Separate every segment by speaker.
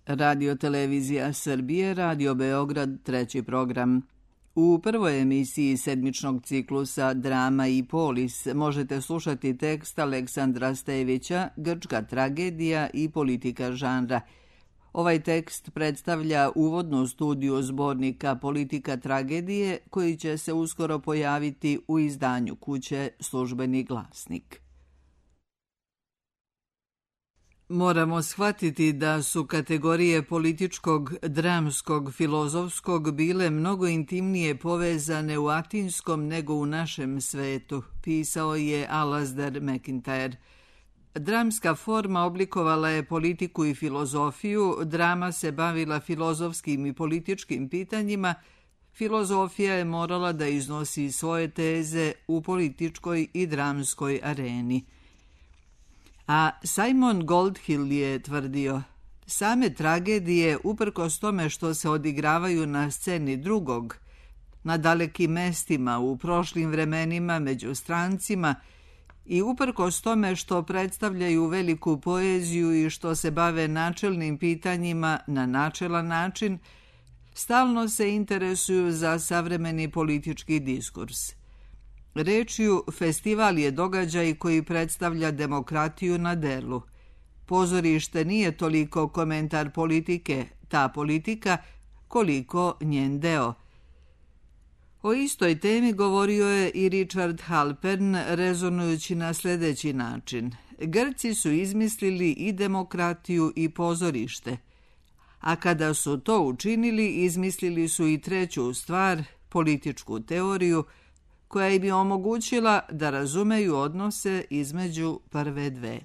Speaker 1: Radio Televizija Srbije, Radio Beograd, treći program. U prvoj emisiji sedmičnog ciklusa Drama i polis možete slušati tekst Aleksandra Stevića Grčka tragedija i politika žanra. Ovaj tekst predstavlja uvodnu studiju zbornika Politika tragedije koji će se uskoro pojaviti u izdanju kuće Službeni glasnik. Moramo shvatiti da su kategorije političkog, dramskog, filozofskog bile mnogo intimnije povezane u atinskom nego u našem svetu, pisao je Alasdair MacIntyre. Dramska forma oblikovala je politiku i filozofiju, drama se bavila filozofskim i političkim pitanjima, filozofija je morala da iznosi svoje teze u političkoj i dramskoj areni. A Simon Goldhill je tvrdio, same tragedije, uprkos tome što se odigravaju na sceni drugog, na dalekim mestima, u prošlim vremenima, među strancima, i uprkos tome što predstavljaju veliku poeziju i što se bave načelnim pitanjima na načelan način, stalno se interesuju za savremeni politički diskurs. Rečju, festival je događaj koji predstavlja demokratiju na delu. Pozorište nije toliko komentar politike, ta politika, koliko njen deo. O istoj temi govorio je i Richard Halpern, rezonujući na sljedeći način. Grci su izmislili i demokratiju i pozorište, a kada su to učinili, izmislili su i treću stvar, političku teoriju, koja im je omogućila da razumeju odnose između prve dve.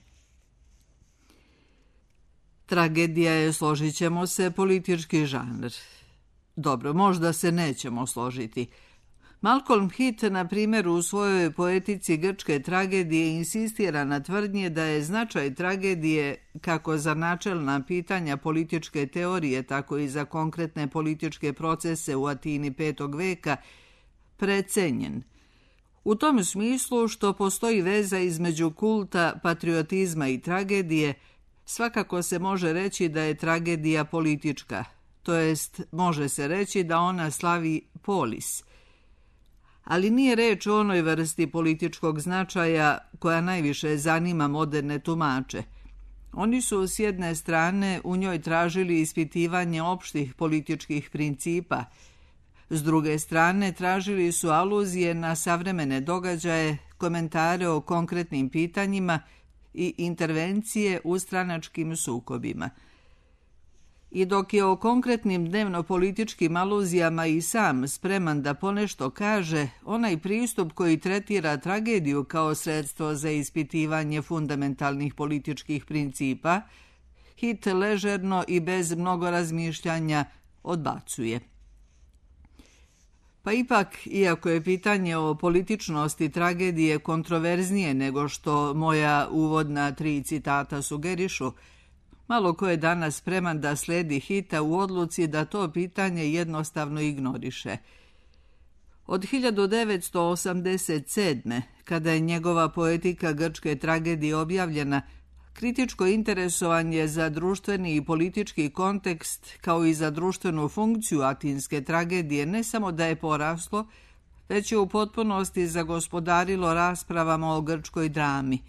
Speaker 1: Tragedija je, složit ćemo se, politički žanr. Dobro, možda se nećemo složiti. Malcolm Hitt, na primjer, u svojoj poetici grčke tragedije insistira na tvrdnje da je značaj tragedije, kako za načelna pitanja političke teorije, tako i za konkretne političke procese u Atini 5. veka, precenjen. U tom smislu što postoji veza između kulta, patriotizma i tragedije, svakako se može reći da je tragedija politička, to jest može se reći da ona slavi polis. Ali nije reč o onoj vrsti političkog značaja koja najviše zanima moderne tumače. Oni su s jedne strane u njoj tražili ispitivanje opštih političkih principa, s druge strane tražili su aluzije na savremene događaje, komentare o konkretnim pitanjima i intervencije u stranačkim sukobima. I dok je o konkretnim dnevno-političkim aluzijama i sam spreman da ponešto kaže, onaj pristup koji tretira tragediju kao sredstvo za ispitivanje fundamentalnih političkih principa, Hitt ležerno i bez mnogo razmišljanja odbacuje. Pa ipak, iako je pitanje o političnosti tragedije kontroverznije nego što moja uvodna 3 citata sugerišu, malo ko je danas spreman da sledi Hitta u odluci da to pitanje jednostavno ignoriše. Od 1987. kada je njegova poetika grčke tragedije objavljena, kritičko interesovanje za društveni i politički kontekst, kao i za društvenu funkciju atinske tragedije, ne samo da je poraslo, već je u potpunosti zagospodarilo raspravama o grčkoj drami.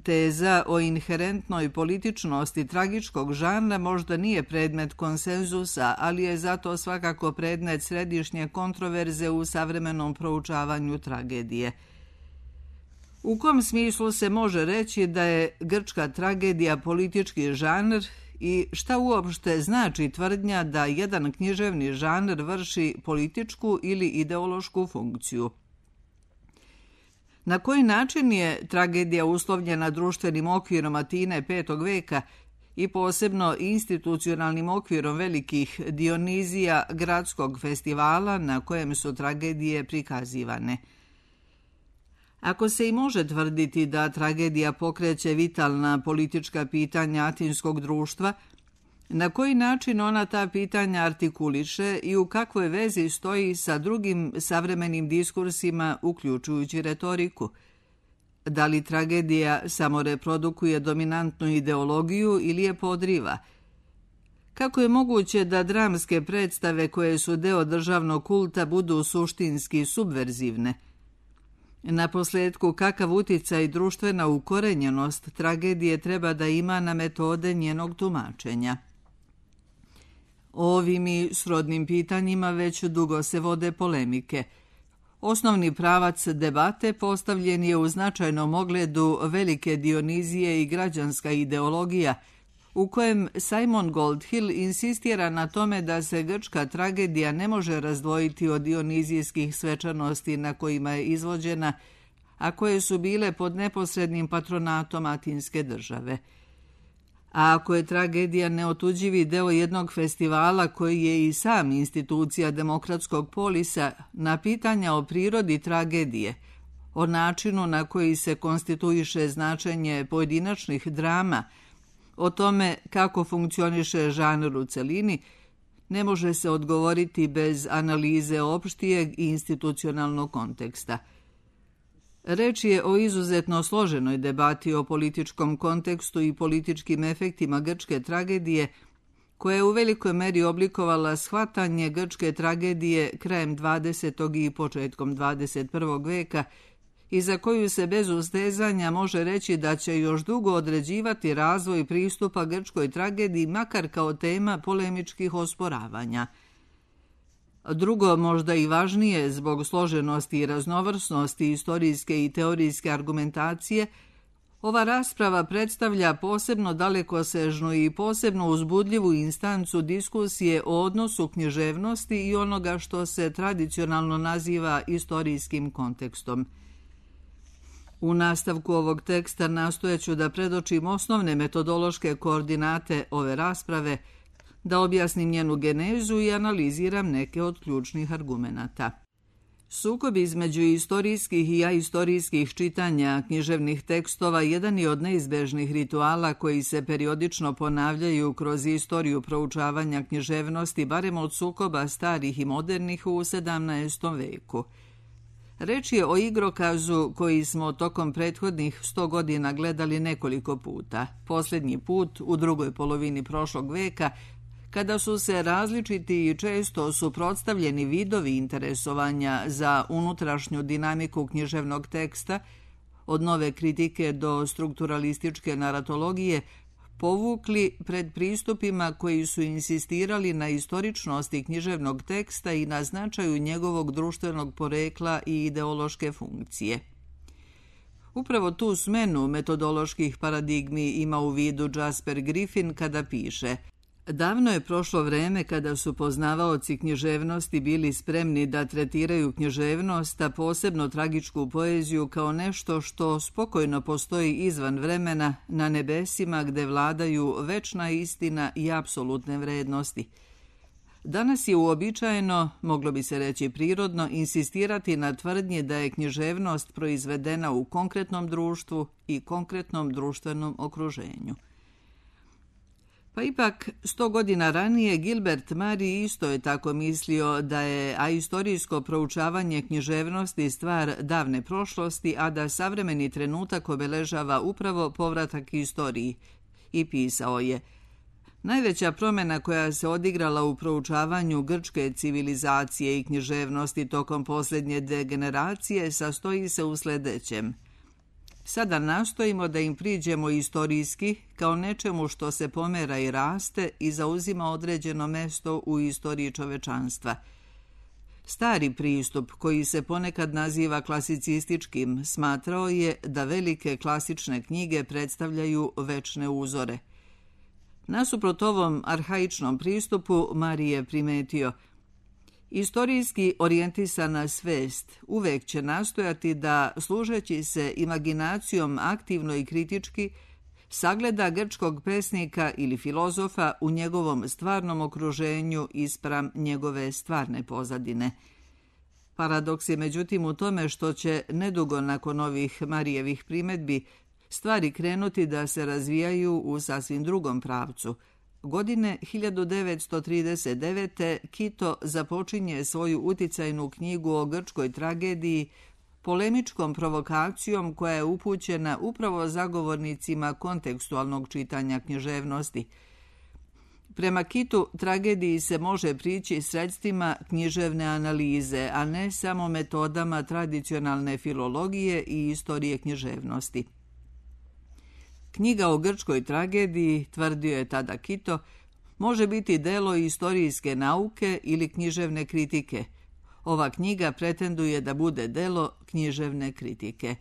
Speaker 1: Teza o inherentnoj političnosti tragičkog žanra možda nije predmet konsenzusa, ali je zato svakako predmet središnje kontroverze u savremenom proučavanju tragedije. U kom smislu se može reći da je grčka tragedija politički žanr i šta uopšte znači tvrdnja da jedan književni žanr vrši političku ili ideološku funkciju? Na koji način je tragedija uslovljena društvenim okvirom Atine 5. veka i posebno institucionalnim okvirom velikih Dionizija gradskog festivala na kojem su tragedije prikazivane? Ako se i može tvrditi da tragedija pokreće vitalna politička pitanja atinskog društva, na koji način ona ta pitanja artikuliše i u kakvoj vezi stoji sa drugim savremenim diskursima, uključujući retoriku? Da li tragedija samo reprodukuje dominantnu ideologiju ili je podriva? Kako je moguće da dramske predstave koje su deo državnog kulta budu suštinski subverzivne? Naposletku, kakav uticaj i društvena ukorenjenost tragedije treba da ima na metode njenog tumačenja? O ovim i srodnim pitanjima već dugo se vode polemike. Osnovni pravac debate postavljen je u značajnom ogledu velike Dionizije i građanska ideologija, u kojem Simon Goldhill insistira na tome da se grčka tragedija ne može razdvojiti od dionizijskih svečanosti na kojima je izvođena, a koje su bile pod neposrednim patronatom Atinske države. A ako je tragedija neotuđivi deo jednog festivala koji je i sam institucija demokratskog polisa, na pitanja o prirodi tragedije, o načinu na koji se konstituiše značenje pojedinačnih drama, o tome kako funkcioniše žanr u celini, ne može se odgovoriti bez analize opštijeg i institucionalnog konteksta. Reč je o izuzetno složenoj debati o političkom kontekstu i političkim efektima grčke tragedije, koja je u velikoj meri oblikovala shvatanje grčke tragedije krajem 20. i početkom 21. veka i za koju se bez ustezanja može reći da će još dugo određivati razvoj pristupa grčkoj tragediji, makar kao tema polemičkih osporavanja. Drugo, možda i važnije zbog složenosti i raznovrsnosti istorijske i teorijske argumentacije, ova rasprava predstavlja posebno dalekosežnu i posebno uzbudljivu instancu diskusije o odnosu književnosti i onoga što se tradicionalno naziva istorijskim kontekstom. U nastavku ovog teksta nastojaću da predočim osnovne metodološke koordinate ove rasprave, da objasnim njenu genezu i analiziram neke od ključnih argumenata. Sukob između istorijskih i aistorijskih čitanja književnih tekstova jedan je od neizbežnih rituala koji se periodično ponavljaju kroz istoriju proučavanja književnosti, barem od sukoba starih i modernih u 17. veku. Reč je o igrokazu koji smo tokom prethodnih 100 godina gledali nekoliko puta. Posljednji put u drugoj polovini prošlog veka, kada su se različiti i često suprotstavljeni vidovi interesovanja za unutrašnju dinamiku književnog teksta, od nove kritike do strukturalističke naratologije, povukli pred pristupima koji su insistirali na istoričnosti književnog teksta i na značaju njegovog društvenog porekla i ideološke funkcije. Upravo tu smenu metodoloških paradigmi ima u vidu Jasper Griffin kada piše: davno je prošlo vreme kada su poznavaoci književnosti bili spremni da tretiraju književnost, a posebno tragičku poeziju, kao nešto što spokojno postoji izvan vremena, na nebesima gde vladaju večna istina i apsolutne vrednosti. Danas je uobičajeno, moglo bi se reći prirodno, insistirati na tvrdnji da je književnost proizvedena u konkretnom društvu i konkretnom društvenom okruženju. Pa ipak, 100 godina ranije Gilbert Murray isto je tako mislio da je aistorijsko proučavanje književnosti stvar davne prošlosti, a da savremeni trenutak obeležava upravo povratak istoriji. I pisao je: najveća promjena koja se odigrala u proučavanju grčke civilizacije i književnosti tokom posljednje degeneracije sastoji se u sljedećem. Sada nastojimo da im priđemo istorijski kao nečemu što se pomera i raste i zauzima određeno mesto u istoriji čovečanstva. Stari pristup, koji se ponekad naziva klasicističkim, smatrao je da velike klasične knjige predstavljaju večne uzore. Nasuprot ovom arhaičnom pristupu, Murray je primetio: istorijski orijentisana svest uvek će nastojati da, služeći se imaginacijom aktivno i kritički, sagleda grčkog pesnika ili filozofa u njegovom stvarnom okruženju ispram njegove stvarne pozadine. Paradoks je međutim u tome što će nedugo nakon ovih Marijevih primedbi stvari krenuti da se razvijaju u sasvim drugom pravcu. Godine 1939. Kito započinje svoju uticajnu knjigu o grčkoj tragediji polemičkom provokacijom koja je upućena upravo zagovornicima kontekstualnog čitanja književnosti. Prema Kitu, tragediji se može prići sredstvima književne analize, a ne samo metodama tradicionalne filologije i istorije književnosti. Knjiga o grčkoj tragediji, tvrdio je tada Kito, može biti delo istorijske nauke ili književne kritike. Ova knjiga pretenduje da bude delo književne kritike.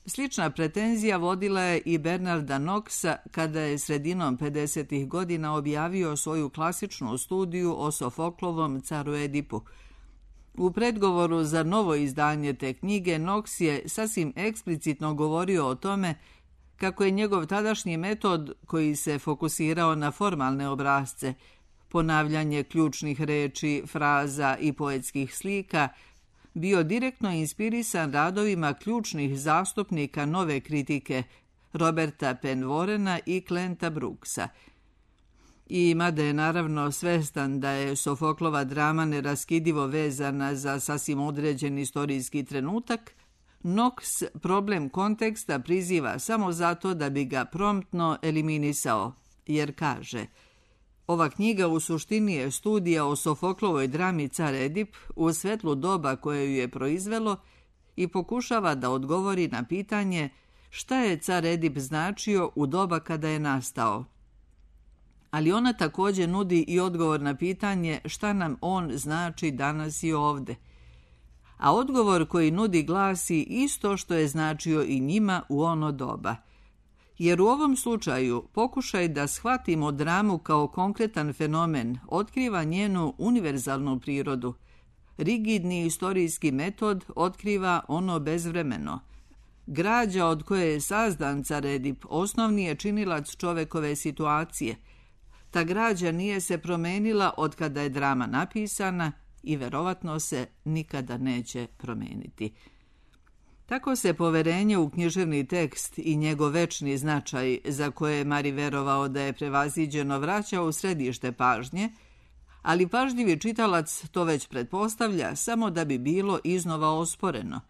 Speaker 1: Slična pretenzija vodila je i Bernarda Knoxa kada je sredinom 50. godina objavio svoju klasičnu studiju o Sofoklovom caru Edipu. U predgovoru za novo izdanje te knjige Knox je sasvim eksplicitno govorio o tome kako je njegov tadašnji metod, koji se fokusirao na formalne obrasce, ponavljanje ključnih reči, fraza i poetskih slika, bio direktno inspirisan radovima ključnih zastupnika nove kritike Roberta Penvorena i Clint'a Brooksa. I mada je naravno svestan da je Sofoklova drama neraskidivo vezana za sasvim određen istorijski trenutak, Knox problem konteksta priziva samo zato da bi ga promptno eliminisao, jer kaže: ova knjiga u suštini je studija o Sofoklovoj drami Car Edip u svetlu doba koje ju je proizvelo i pokušava da odgovori na pitanje šta je Car Edip značio u doba kada je nastao. Ali ona također nudi i odgovor na pitanje šta nam on znači danas i ovde. A odgovor koji nudi glasi isto što je značio i njima u ono doba. Jer u ovom slučaju pokušaj da shvatimo dramu kao konkretan fenomen otkriva njenu univerzalnu prirodu. Rigidni istorijski metod otkriva ono bezvremeno. Građa od koje je sazdan Car Edip osnovni je činilac čovekove situacije. Ta građa nije se promenila od kada je drama napisana i verovatno se nikada neće promeniti. Tako se poverenje u književni tekst i njegov večni značaj, za koje je Mari verovao da je prevaziđeno, vraća u središte pažnje, ali pažljivi čitalac to već pretpostavlja samo da bi bilo iznova osporeno.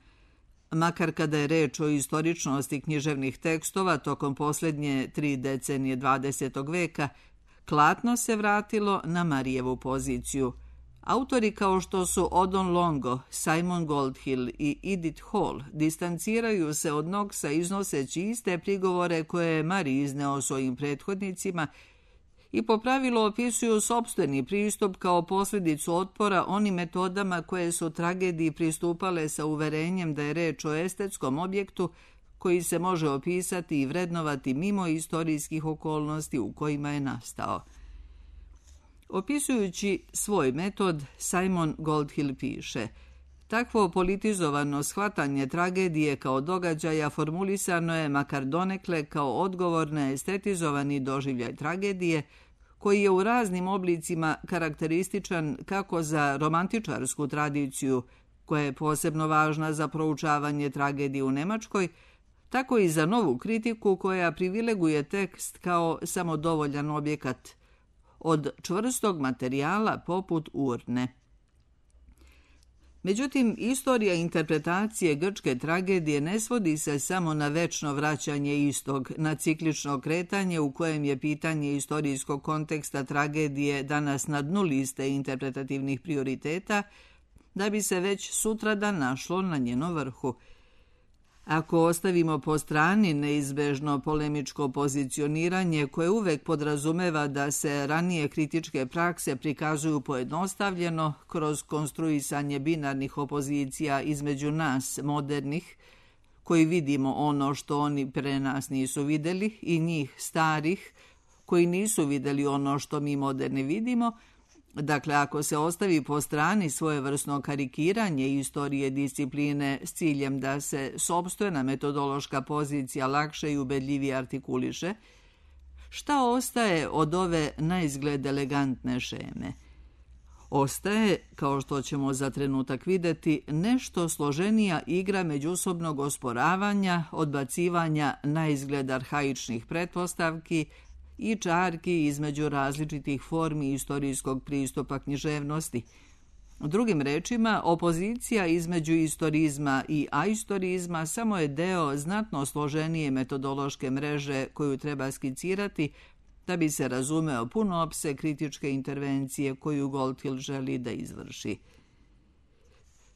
Speaker 1: Makar kada je reč o istoričnosti književnih tekstova tokom posljednje 3 decenije 20. veka, klatno se vratilo na Marijevu poziciju. Autori kao što su Odon Longo, Simon Goldhill i Edith Hall distanciraju se od Knoxa iznoseći iste prigovore koje je Mari izneo svojim prethodnicima i po pravilu opisuju sopstveni pristup kao posljedicu otpora onim metodama koje su tragediji pristupale sa uverenjem da je reč o estetskom objektu koji se može opisati i vrednovati mimo istorijskih okolnosti u kojima je nastao. Opisujući svoj metod, Simon Goldhill piše: takvo politizovano shvatanje tragedije kao događaja formulisano je makar donekle kao odgovor na estetizovani doživljaj tragedije, koji je u raznim oblicima karakterističan kako za romantičarsku tradiciju, koja je posebno važna za proučavanje tragedije u Nemačkoj, tako i za novu kritiku koja privileguje tekst kao samodovoljan objekat, od čvrstog materijala poput urne. Međutim, istorija interpretacije grčke tragedije ne svodi se samo na večno vraćanje istog, na ciklično kretanje u kojem je pitanje istorijskog konteksta tragedije danas na dnu liste interpretativnih prioriteta, da bi se već sutradan našlo na njeno vrhu. Ako ostavimo po strani neizbežno polemičko pozicioniranje koje uvek podrazumeva da se ranije kritičke prakse prikazuju pojednostavljeno kroz konstruisanje binarnih opozicija između nas, modernih, koji vidimo ono što oni pre nas nisu videli, i njih, starih, koji nisu videli ono što mi moderni vidimo, dakle, ako se ostavi po strani svojevrsno karikiranje istorije discipline s ciljem da se sopstvena metodološka pozicija lakše i ubedljivije artikuliše, šta ostaje od ove naizgled elegantne šeme? Ostaje, kao što ćemo za trenutak videti, nešto složenija igra međusobnog osporavanja, odbacivanja naizgled arhaičnih pretpostavki i čarki između različitih formi istorijskog pristupa književnosti. Drugim rečima, opozicija između istorizma i aistorizma samo je deo znatno složenije metodološke mreže koju treba skicirati, da bi se razumeo pun opseg kritičke intervencije koju Goldhill želi da izvrši.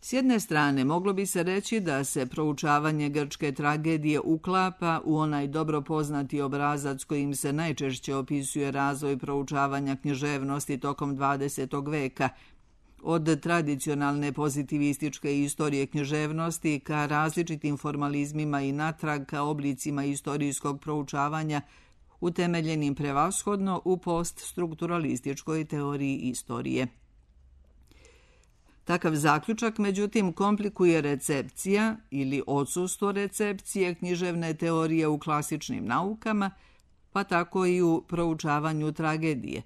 Speaker 1: S jedne strane, moglo bi se reći da se proučavanje grčke tragedije uklapa u onaj dobro poznati obrazac kojim se najčešće opisuje razvoj proučavanja književnosti tokom 20. veka, od tradicionalne pozitivističke istorije književnosti ka različitim formalizmima i natrag ka oblicima istorijskog proučavanja utemeljenim prevashodno u poststrukturalističkoj teoriji istorije. Takav zaključak, međutim, komplikuje recepcija ili odsustvo recepcije književne teorije u klasičnim naukama, pa tako i u proučavanju tragedije.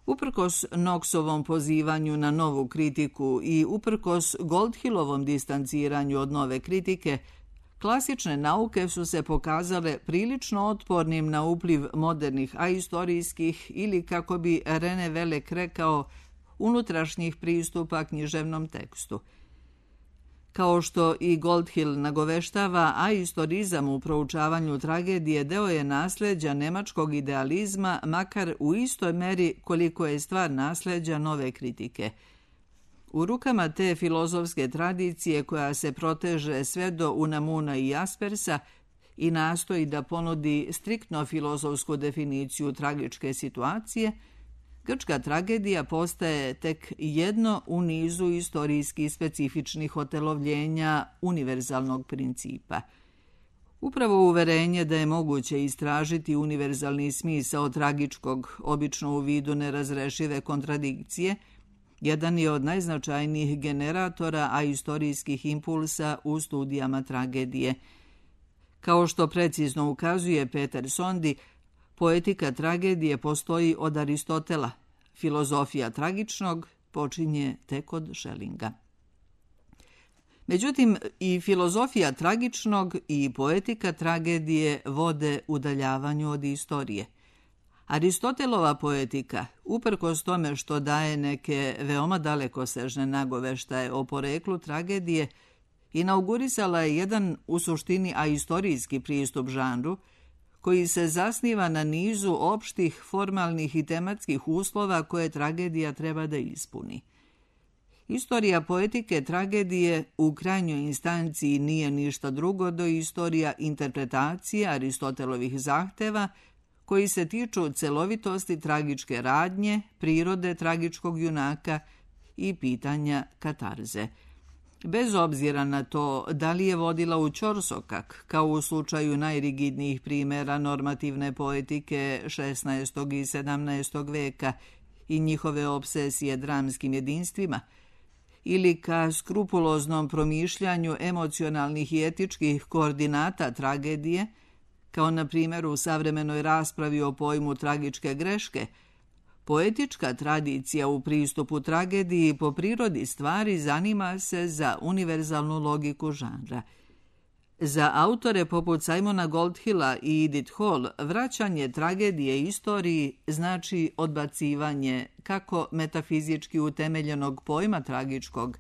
Speaker 1: Uprkos Knoxovom pozivanju na novu kritiku i uprkos Goldhillovom distanciranju od nove kritike, klasične nauke su se pokazale prilično otpornim na upliv modernih aistorijskih ili, kako bi René Velek rekao, unutrašnjih pristupa književnom tekstu. Kao što i Goldhill nagoveštava, aistorizam u proučavanju tragedije deo je nasleđa nemačkog idealizma, makar u istoj meri koliko je stvar nasleđa nove kritike. U rukama te filozofske tradicije koja se proteže sve do Unamuna i Jaspersa i nastoji da ponudi striktno filozofsku definiciju tragičke situacije, grčka tragedija postaje tek jedno u nizu istorijski specifičnih otelovljenja univerzalnog principa. Upravo uverenje da je moguće istražiti univerzalni smisao tragičkog, obično u vidu nerazrešive kontradikcije, jedan je od najznačajnijih generatora aistorijskih impulsa u studijama tragedije. Kao što precizno ukazuje Peter Sondy, poetika tragedije postoji od Aristotela. Filozofija tragičnog počinje tek od Schellinga. Međutim, i filozofija tragičnog i poetika tragedije vode udaljavanju od istorije. Aristotelova poetika, uprkos tome što daje neke veoma dalekosežne nagoveštaje o poreklu tragedije, inaugurisala je jedan u suštini aistorijski pristup žanru, koji se zasniva na nizu opštih, formalnih i tematskih uslova koje tragedija treba da ispuni. Istorija poetike tragedije u krajnjoj instanciji nije ništa drugo do istorija interpretacije Aristotelovih zahteva koji se tiču celovitosti tragičke radnje, prirode tragičkog junaka i pitanja katarze. Bez obzira na to da li je vodila u ćorsokak, kao u slučaju najrigidnijih primjera normativne poetike 16. i 17. veka i njihove obsesije dramskim jedinstvima, ili ka skrupuloznom promišljanju emocionalnih i etičkih koordinata tragedije, kao na primjer u savremenoj raspravi o pojmu tragičke greške, poetička tradicija u pristupu tragediji po prirodi stvari zanima se za univerzalnu logiku žanra. Za autore poput Simona Goldhilla i Edith Hall vraćanje tragedije istoriji znači odbacivanje kako metafizički utemeljenog pojma tragičkog,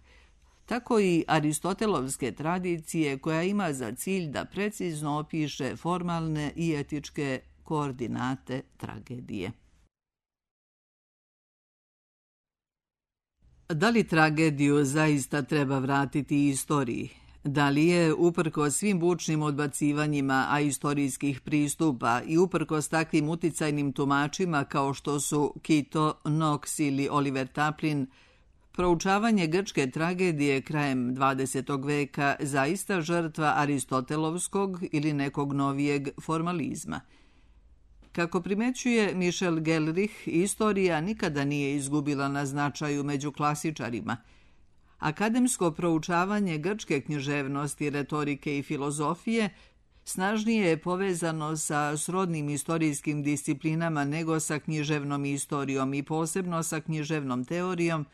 Speaker 1: tako i aristotelovske tradicije koja ima za cilj da precizno opiše formalne i etičke koordinate tragedije. Da li tragediju zaista treba vratiti istoriji? Da li je, uprkos svim bučnim odbacivanjima aistorijskih pristupa i uprkos takvim uticajnim tumačima kao što su Kito, Knox ili Oliver Taplin, proučavanje grčke tragedije krajem 20. veka zaista žrtva aristotelovskog ili nekog novijeg formalizma? Kako primećuje Michel Gelrich, istorija nikada nije izgubila na značaju među klasičarima. Akademsko proučavanje grčke književnosti, retorike i filozofije snažnije je povezano sa srodnim istorijskim disciplinama nego sa književnom istorijom i posebno sa književnom teorijom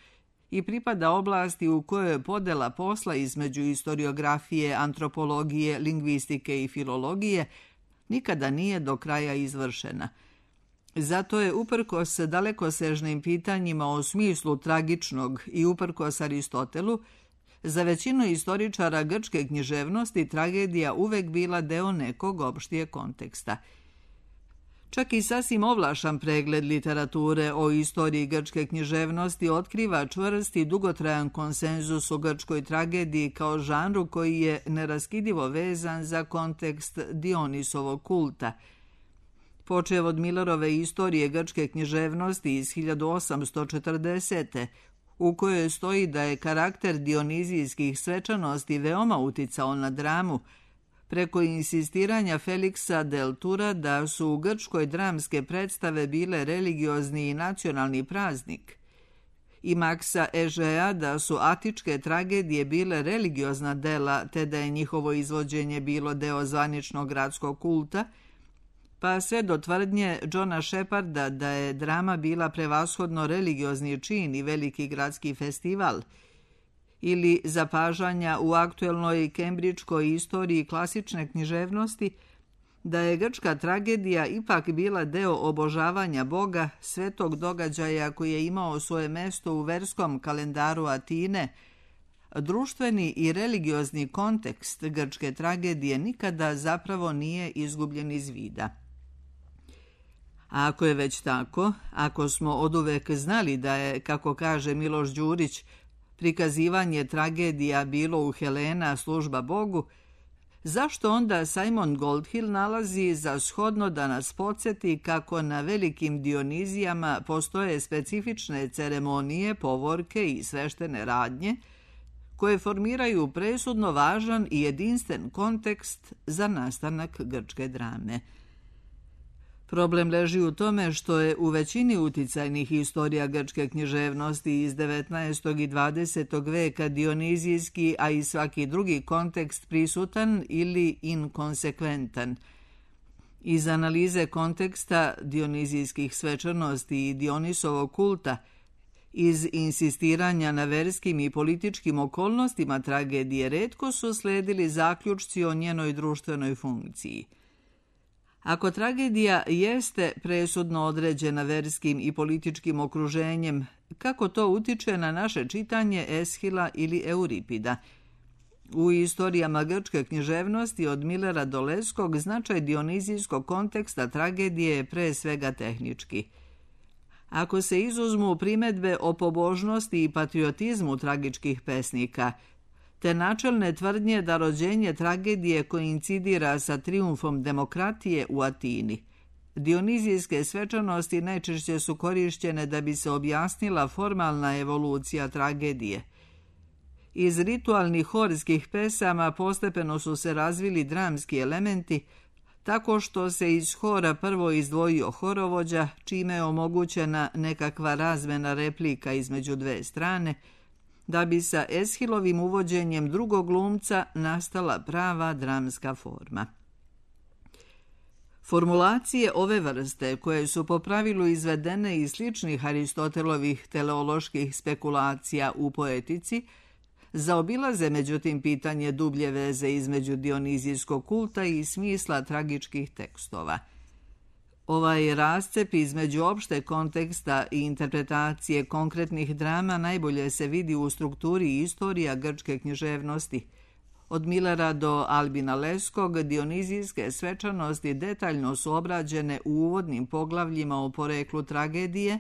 Speaker 1: i pripada oblasti u kojoj je podela posla između istoriografije, antropologije, lingvistike i filologije nikada nije do kraja izvršena. Zato je uprkos dalekosežnim pitanjima o smislu tragičnog i uprkos Aristotelu, za većinu istoričara grčke književnosti tragedija uvek bila deo nekog opštijeg konteksta. Čak i sasvim ovlašan pregled literature o istoriji grčke književnosti otkriva čvrst i dugotrajan konsenzus o grčkoj tragediji kao žanru koji je neraskidivo vezan za kontekst Dionisovog kulta. Počev od Millerove istorije grčke književnosti iz 1840. u kojoj stoji da je karakter dionizijskih svečanosti veoma uticao na dramu, preko insistiranja Feliksa del Tura da su u Grčkoj dramske predstave bile religiozni i nacionalni praznik, i Maksa Ežeja da su atičke tragedije bile religiozna dela te da je njihovo izvođenje bilo deo zvaničnog gradskog kulta, pa sve do tvrdnje Johna Sheparda da je drama bila prevashodno religiozni čin i veliki gradski festival, ili zapažanja u aktuelnoj kembridžkoj istoriji klasične književnosti da je grčka tragedija ipak bila deo obožavanja Boga, svetog događaja koji je imao svoje mesto u verskom kalendaru Atine, društveni i religiozni kontekst grčke tragedije nikada zapravo nije izgubljen iz vida. A ako je već tako, ako smo oduvek znali da je, kako kaže Miloš Đurić, prikazivanje tragedija bilo u Helena služba Bogu, zašto onda Simon Goldhill nalazi za shodno da nas podsjeti kako na velikim Dionizijama postoje specifične ceremonije, povorke i sveštene radnje, koje formiraju presudno važan i jedinstven kontekst za nastanak grčke drame. Problem leži u tome što je u većini uticajnih istorija grčke književnosti iz 19. i 20. veka dionizijski, a i svaki drugi kontekst prisutan ili inkonsekventan. Iz analize konteksta dionizijskih svečanosti i Dionisovog kulta, iz insistiranja na verskim i političkim okolnostima tragedije retko su sledili zaključci o njenoj društvenoj funkciji. Ako tragedija jeste presudno određena verskim i političkim okruženjem, kako to utiče na naše čitanje Eschila ili Euripida? U istorijama grčke književnosti od Millera do Leskog značaj dionizijskog konteksta tragedije je pre svega tehnički. Ako se izuzmu primedbe o pobožnosti i patriotizmu tragičkih pesnika, te načelne tvrdnje da rođenje tragedije koincidira sa trijumfom demokratije u Atini, dionizijske svečanosti najčešće su korišćene da bi se objasnila formalna evolucija tragedije. Iz ritualnih horskih pesama postepeno su se razvili dramski elementi, tako što se iz hora prvo izdvojio horovođa, čime je omogućena nekakva razmena replika između dve strane, da bi sa Eshilovim uvođenjem drugog glumca nastala prava dramska forma. Formulacije ove vrste, koje su po pravilu izvedene iz sličnih Aristotelovih teleoloških spekulacija u poetici, zaobilaze međutim pitanje dublje veze između dionizijskog kulta i smisla tragičkih tekstova. Ovaj rascep između opšte konteksta i interpretacije konkretnih drama najbolje se vidi u strukturi istorija grčke književnosti. Od Millera do Albina Leskog dionizijske svečanosti detaljno su obrađene u uvodnim poglavljima o poreklu tragedije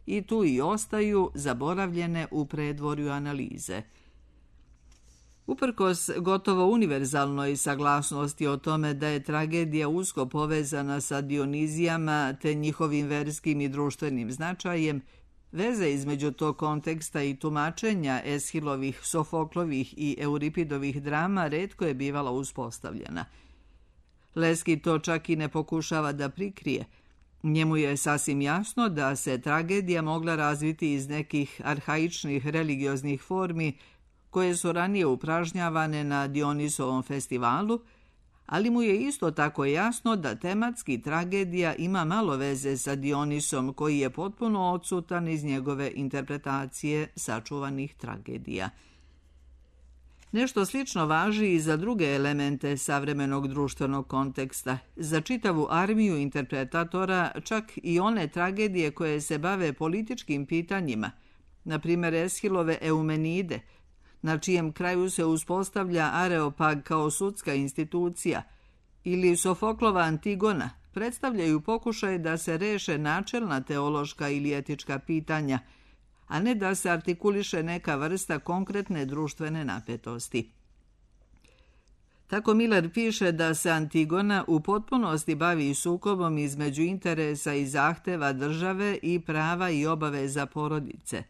Speaker 1: i tu i ostaju zaboravljene u predvorju analize. Uprkos gotovo univerzalnoj saglasnosti o tome da je tragedija usko povezana sa Dionizijama te njihovim verskim i društvenim značajem, veza između tog konteksta i tumačenja Eshilovih, Sofoklovih i Euripidovih drama retko je bivala uspostavljena. Leski to čak i ne pokušava da prikrije. Njemu je sasvim jasno da se tragedija mogla razviti iz nekih arhaičnih religioznih formi koje su ranije upražnjavane na Dionisovom festivalu, ali mu je isto tako jasno da tematski tragedija ima malo veze sa Dionisom koji je potpuno odsutan iz njegove interpretacije sačuvanih tragedija. Nešto slično važi i za druge elemente savremenog društvenog konteksta. Za čitavu armiju interpretatora, čak i one tragedije koje se bave političkim pitanjima, na primjer Eschilove Eumenide, na čijem kraju se uspostavlja Areopag kao sudska institucija, ili Sofoklova Antigona, predstavljaju pokušaj da se reše načelna teološka ili etička pitanja, a ne da se artikuliše neka vrsta konkretne društvene napetosti. Tako Miller piše da se Antigona u potpunosti bavi sukobom između interesa i zahteva države i prava i obaveza porodice.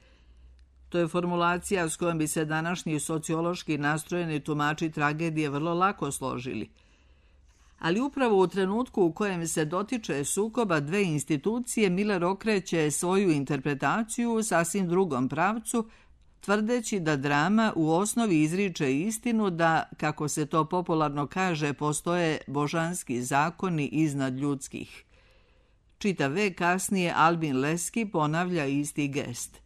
Speaker 1: To je formulacija s kojom bi se današnji sociološki nastrojeni tumači tragedije vrlo lako složili. Ali upravo u trenutku u kojem se dotiče sukoba dve institucije, Miller okreće svoju interpretaciju u sasvim drugom pravcu, tvrdeći da drama u osnovi izriče istinu da, kako se to popularno kaže, postoje božanski zakoni iznad ljudskih. Čitav vek kasnije Albin Leski ponavlja isti gest.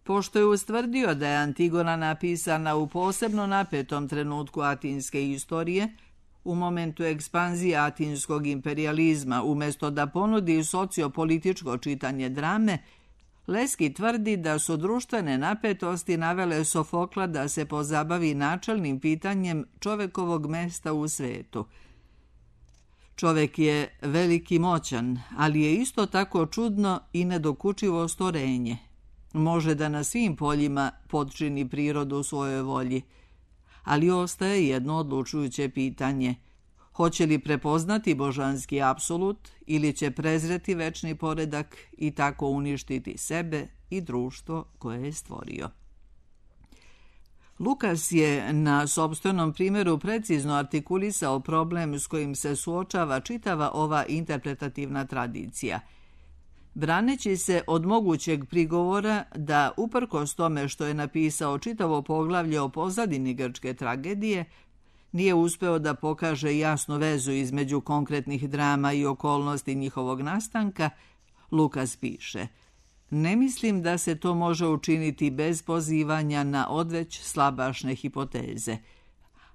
Speaker 1: Pošto je ustvrdio da je Antigona napisana u posebno napetom trenutku atinske istorije, u momentu ekspanzije atinskog imperijalizma, umjesto da ponudi sociopolitičko čitanje drame, Leski tvrdi da su društvene napetosti navele Sofokla da se pozabavi načelnim pitanjem čovekovog mesta u svetu. Čovek je veliki moćan, ali je isto tako čudno i nedokučivo stvorenje. Može da na svim poljima potčini prirodu svojoj volji, ali ostaje jedno odlučujuće pitanje. Hoće li prepoznati božanski apsolut ili će prezreti večni poredak i tako uništiti sebe i društvo koje je stvorio? Lukas je na sopstvenom primjeru precizno artikulisao problem s kojim se suočava čitava ova interpretativna tradicija. Braneći se od mogućeg prigovora da, uprkos tome što je napisao čitavo poglavlje o pozadini grčke tragedije, nije uspeo da pokaže jasnu vezu između konkretnih drama i okolnosti njihovog nastanka, Lukas piše: ne mislim da se to može učiniti bez pozivanja na odveć slabašne hipoteze.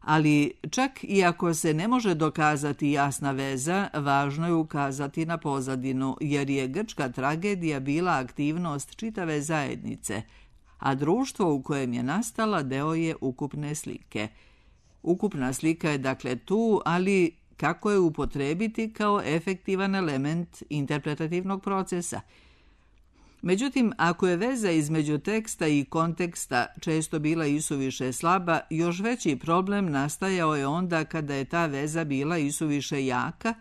Speaker 1: Ali čak i ako se ne može dokazati jasna veza, važno je ukazati na pozadinu, jer je grčka tragedija bila aktivnost čitave zajednice, a društvo u kojem je nastala deo je ukupne slike. Ukupna slika je dakle tu, ali kako je upotrebiti kao efektivan element interpretativnog procesa? Međutim, ako je veza između teksta i konteksta često bila isuviše slaba, još veći problem nastajao je onda kada je ta veza bila isuviše jaka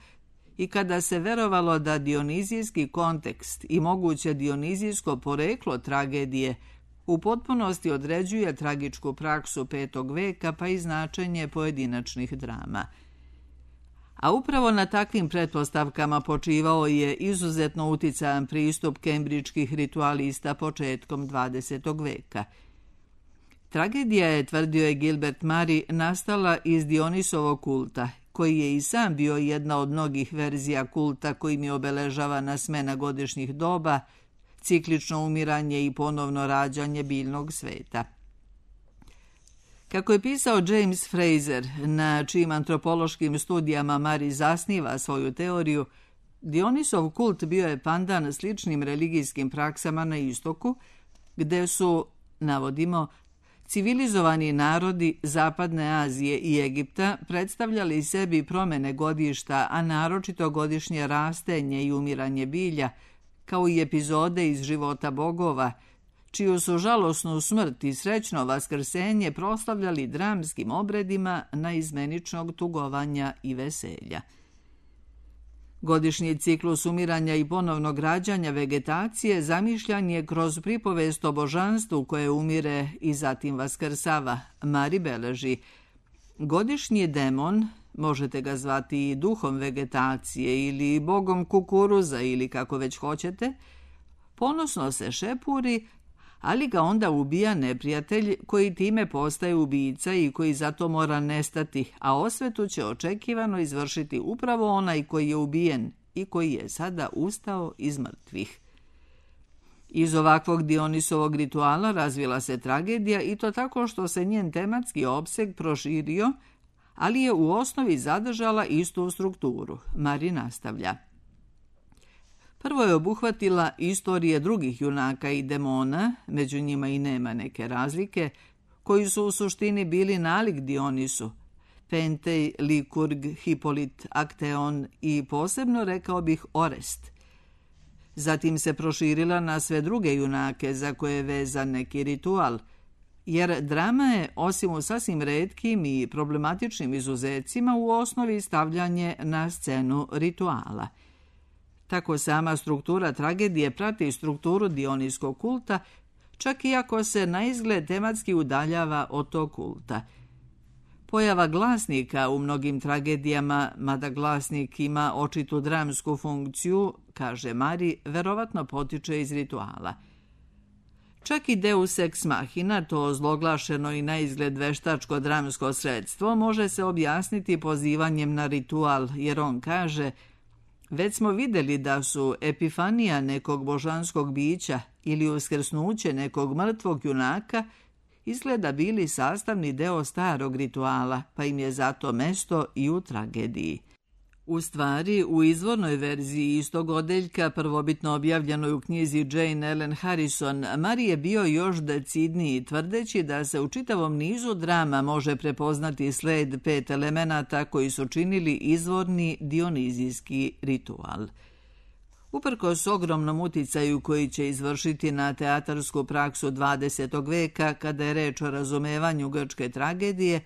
Speaker 1: i kada se verovalo da dionizijski kontekst i moguće dionizijsko poreklo tragedije u potpunosti određuje tragičku praksu 5. veka pa i značenje pojedinačnih drama. A upravo na takvim pretpostavkama počivao je izuzetno uticajan pristup kembridžkih ritualista početkom 20. veka. Tragedija je, tvrdio je Gilbert Murray, nastala iz Dionisovog kulta, koji je i sam bio jedna od mnogih verzija kulta kojim je obeležavana smena godišnjih doba, ciklično umiranje i ponovno rađanje biljnog sveta. Kako je pisao James Fraser, na čijim antropološkim studijama Murray zasniva svoju teoriju, Dionisov kult bio je pandan sličnim religijskim praksama na istoku, gde su, navodimo, civilizovani narodi Zapadne Azije i Egipta predstavljali sebi promene godišta, a naročito godišnje rastenje i umiranje bilja, kao i epizode iz života bogova, čiju su žalosnu smrt i srećno vaskrsenje proslavljali dramskim obredima naizmeničnog tugovanja i veselja. Godišnji ciklus umiranja i ponovnog rađanja vegetacije zamišljan je kroz pripovest o božanstvu koje umire i zatim vaskrsava. Murray beleži: godišnji demon, možete ga zvati i duhom vegetacije ili bogom kukuruza ili kako već hoćete, ponosno se šepuri, ali ga onda ubija neprijatelj koji time postaje ubica i koji zato mora nestati, a osvetu će očekivano izvršiti upravo onaj koji je ubijen i koji je sada ustao iz mrtvih. Iz ovakvog Dionisovog rituala razvila se tragedija i to tako što se njen tematski opseg proširio, ali je u osnovi zadržala istu strukturu. Murray nastavlja: prvo je obuhvatila istorije drugih junaka i demona, među njima i nema neke razlike, koji su u suštini bili nalik Dionisu, Pentej, Likurg, Hipolit, Akteon i posebno, rekao bih, Orest. Zatim se proširila na sve druge junake za koje je vezan neki ritual, jer drama je, osim u sasvim retkim i problematičnim izuzecima, u osnovi stavljanje na scenu rituala. Tako sama struktura tragedije prati strukturu dionijskog kulta, čak i ako se naizgled tematski udaljava od tog kulta. Pojava glasnika u mnogim tragedijama, mada glasnik ima očitu dramsku funkciju, kaže Mari, verovatno potiče iz rituala. Čak i deus ex machina, to zloglašeno i naizgled veštačko dramsko sredstvo, može se objasniti pozivanjem na ritual, jer on kaže: već smo vidjeli da su epifanija nekog božanskog bića ili uskrsnuće nekog mrtvog junaka izgleda bili sastavni deo starog rituala, pa im je zato mesto i u tragediji. U stvari, u izvornoj verziji istog odeljka, prvobitno objavljenoj u knjizi Jane Ellen Harrison, Mari je bio još decidniji, tvrdeći da se u čitavom nizu drama može prepoznati sled 5 elemenata koji su činili izvorni dionizijski ritual. Uprkos ogromnom uticaju koji će izvršiti na teatarsku praksu 20. veka, kada je reč o razumevanju grčke tragedije,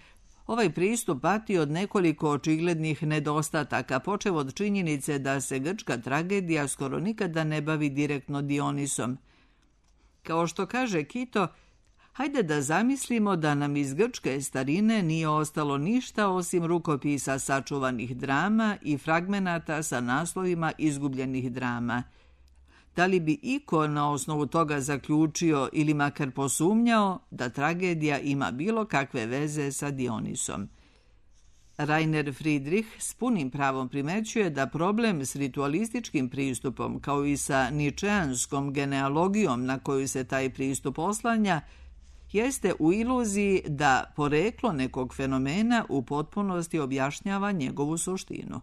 Speaker 1: ovaj pristup pati od nekoliko očiglednih nedostataka, počev od činjenice da se grčka tragedija skoro nikada ne bavi direktno Dionisom. Kao što kaže Kito, hajde da zamislimo da nam iz grčke starine nije ostalo ništa osim rukopisa sačuvanih drama i fragmenata sa naslovima izgubljenih drama. Da li bi iko na osnovu toga zaključio ili makar posumnjao da tragedija ima bilo kakve veze sa Dionisom? Rainer Friedrich s punim pravom primećuje da problem s ritualističkim pristupom, kao i sa ničeanskom genealogijom na koju se taj pristup oslanja, jeste u iluziji da poreklo nekog fenomena u potpunosti objašnjava njegovu suštinu.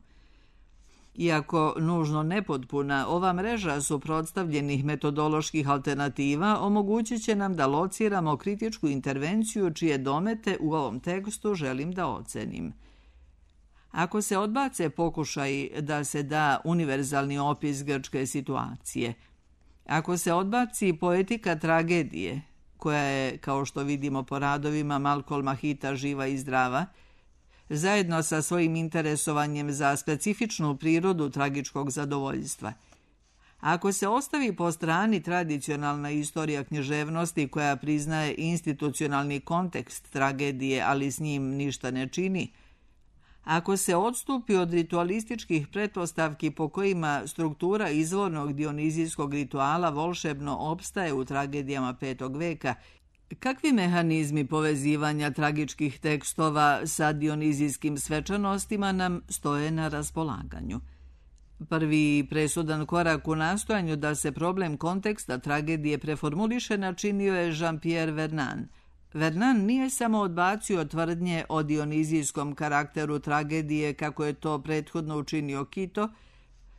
Speaker 1: Iako nužno nepotpuna, ova mreža suprotstavljenih metodoloških alternativa omogućit će nam da lociramo kritičku intervenciju čije domete u ovom tekstu želim da ocenim. Ako se odbace pokušaj da se da univerzalni opis grčke situacije, ako se odbaci poetika tragedije, koja je, kao što vidimo po radovima Malcolma Hita, živa i zdrava, zajedno sa svojim interesovanjem za specifičnu prirodu tragičkog zadovoljstva. Ako se ostavi po strani tradicionalna istorija književnosti koja priznaje institucionalni kontekst tragedije, ali s njim ništa ne čini, ako se odstupi od ritualističkih pretpostavki po kojima struktura izvornog dionizijskog rituala volšebno opstaje u tragedijama 5. veka, kakvi mehanizmi povezivanja tragičkih tekstova sa dionizijskim svečanostima nam stoje na raspolaganju? Prvi presudan korak u nastojanju da se problem konteksta tragedije preformuliše načinio je Jean-Pierre Vernant. Vernant nije samo odbacio tvrdnje o dionizijskom karakteru tragedije kako je to prethodno učinio Kito,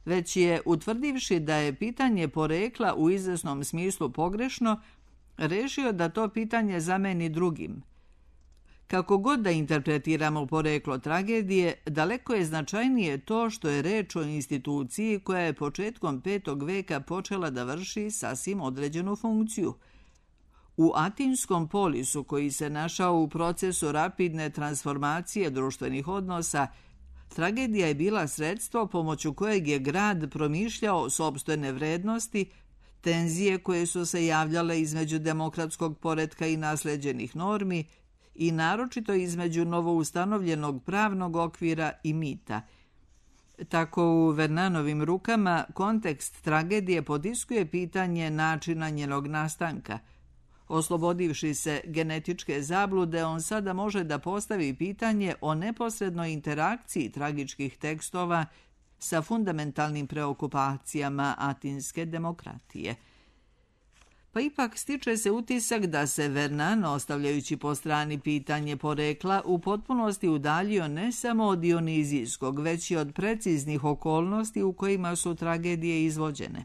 Speaker 1: već je, utvrdivši da je pitanje porekla u izvesnom smislu pogrešno, rešio da to pitanje zameni drugim. Kako god da interpretiramo poreklo tragedije, daleko je značajnije to što je reč o instituciji koja je početkom 5. veka počela da vrši sasvim određenu funkciju. U atinskom polisu, koji se našao u procesu rapidne transformacije društvenih odnosa, tragedija je bila sredstvo pomoću kojeg je grad promišljao sopstvene vrednosti, tenzije koje su se javljale između demokratskog poretka i nasleđenih normi i naročito između novoustanovljenog pravnog okvira i mita. Tako u Vernanovim rukama kontekst tragedije potiskuje pitanje načina njenog nastanka. Oslobodivši se genetičke zablude, on sada može da postavi pitanje o neposrednoj interakciji tragičkih tekstova sa fundamentalnim preokupacijama atinske demokratije. Pa ipak stiče se utisak da se Vernant, ostavljajući po strani pitanje porekla, u potpunosti udaljio ne samo od dionizijskog, već i od preciznih okolnosti u kojima su tragedije izvođene.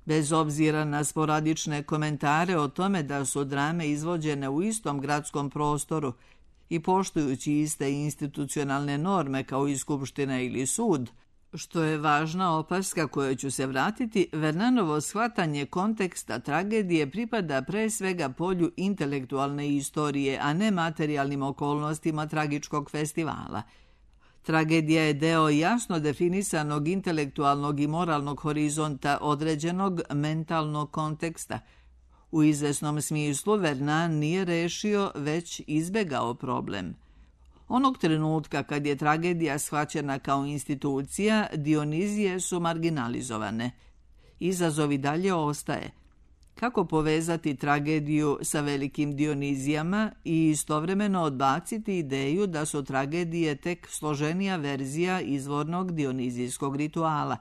Speaker 1: Bez obzira na sporadične komentare o tome da su drame izvođene u istom gradskom prostoru i poštujući iste institucionalne norme kao i skupština ili sud, što je važna opaska kojoj ću se vratiti, Vernanovo shvatanje konteksta tragedije pripada pre svega polju intelektualne istorije, a ne materijalnim okolnostima tragičkog festivala. Tragedija je deo jasno definisanog intelektualnog i moralnog horizonta određenog mentalnog konteksta. U izvesnom smislu Vernan nije rešio, već izbegao problem. Onog trenutka kad je tragedija shvaćena kao institucija, Dionizije su marginalizovane. Izazov i dalje ostaje. Kako povezati tragediju sa velikim Dionizijama i istovremeno odbaciti ideju da su tragedije tek složenija verzija izvornog dionizijskog rituala?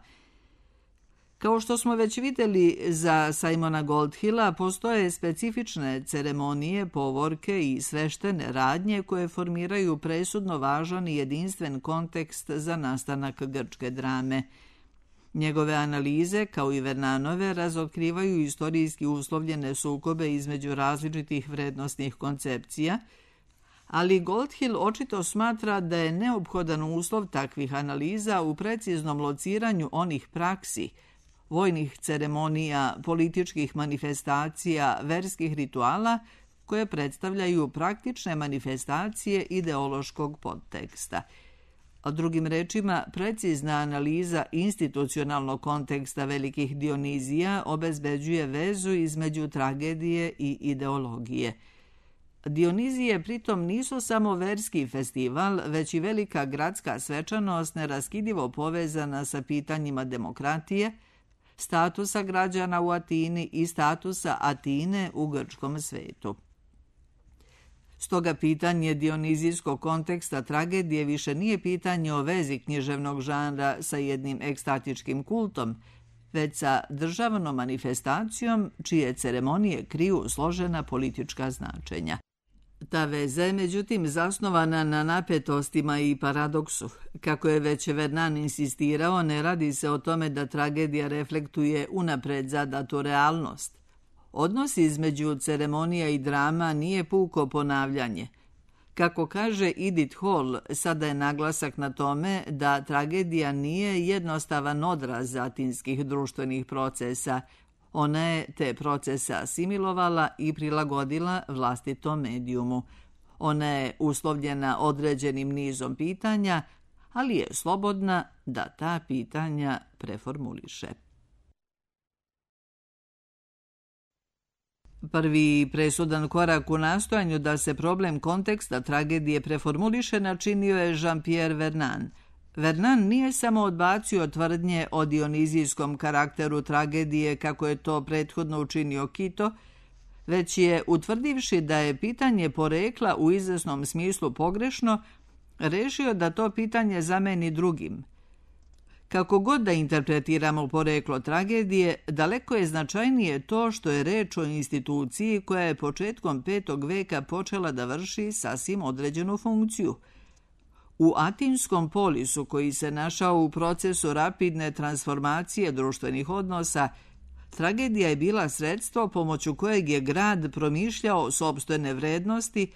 Speaker 1: Kao što smo već vidjeli, za Simona Goldhilla postoje specifične ceremonije, povorke i sveštene radnje koje formiraju presudno važan i jedinstven kontekst za nastanak grčke drame. Njegove analize, kao i Vernanove, razotkrivaju istorijski uslovljene sukobe između različitih vrednostnih koncepcija, ali Goldhill očito smatra da je neophodan uslov takvih analiza u preciznom lociranju onih praksi, vojnih ceremonija, političkih manifestacija, verskih rituala, koje predstavljaju praktične manifestacije ideološkog podteksta. A drugim rečima, precizna analiza institucionalnog konteksta velikih Dionizija obezbeđuje vezu između tragedije i ideologije. Dionizije pritom nisu samo verski festival, već i velika gradska svečanost neraskidivo povezana sa pitanjima demokratije, statusa građana u Atini i statusa Atine u grčkom svetu. Stoga pitanje dionizijskog konteksta tragedije više nije pitanje o vezi književnog žanra sa jednim ekstatičkim kultom, već sa državnom manifestacijom čije ceremonije kriju složena politička značenja. Ta veza je međutim zasnovana na napetostima i paradoksu. Kako je već Vernan insistirao, ne radi se o tome da tragedija reflektuje unapred zadatu realnost. Odnos između ceremonija i drama nije puko ponavljanje. Kako kaže Edith Hall, sada je naglasak na tome da tragedija nije jednostavan odraz atinskih društvenih procesa. Ona je te procese asimilovala i prilagodila vlastitom medijumu. Ona je uslovljena određenim nizom pitanja, ali je slobodna da ta pitanja preformuliše. Prvi presudan korak u nastojanju da se problem konteksta tragedije preformuliše načinio je Jean-Pierre Vernan. Vernan nije samo odbacio tvrdnje o dionizijskom karakteru tragedije kako je to prethodno učinio Kito, već je, utvrdivši da je pitanje porekla u izvesnom smislu pogrešno, rešio da to pitanje zameni drugim. Kako god da interpretiramo poreklo tragedije, daleko je značajnije to što je reč o instituciji koja je početkom 5. veka počela da vrši sasvim određenu funkciju. U atinskom polisu, koji se našao u procesu rapidne transformacije društvenih odnosa, tragedija je bila sredstvo pomoću kojeg je grad promišljao sopstvene vrednosti,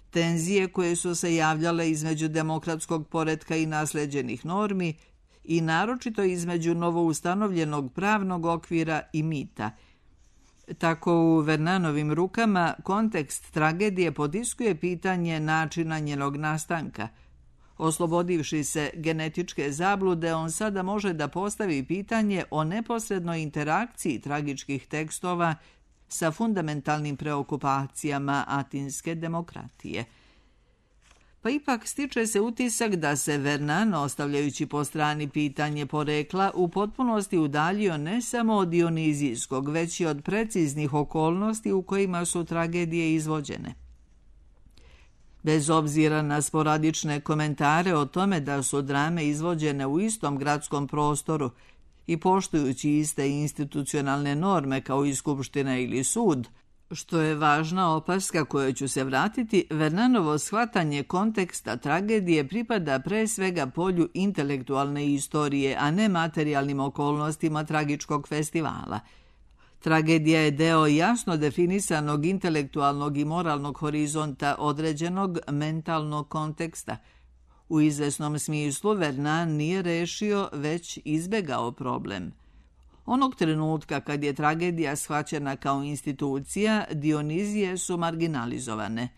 Speaker 1: tenzije koje su se javljale između demokratskog poretka i nasleđenih normi i naročito između novoustanovljenog pravnog okvira i mita. Tako u Vernanovim rukama kontekst tragedije potiskuje pitanje načina njenog nastanka. Oslobodivši se genetičke zablude, on sada može da postavi pitanje o neposrednoj interakciji tragičkih tekstova sa fundamentalnim preokupacijama atinske demokratije. Pa ipak stiče se utisak da se Vernan, ostavljajući po strani pitanje porekla, u potpunosti udaljio ne samo od dionizijskog, već i od preciznih okolnosti u kojima su tragedije izvođene. Bez obzira na sporadične komentare o tome da su drame izvođene u istom gradskom prostoru i poštujući iste institucionalne norme kao i skupština ili sud, što je važna opaska kojoj ću se vratiti, Vernanovo shvatanje konteksta tragedije pripada pre svega polju intelektualne istorije, a ne materijalnim okolnostima tragičkog festivala. Tragedija je deo jasno definisanog intelektualnog i moralnog horizonta određenog mentalnog konteksta. U izvesnom smislu Vernan nije rešio, već izbegao problem. Onog trenutka kad je tragedija shvaćena kao institucija, Dionizije su marginalizovane.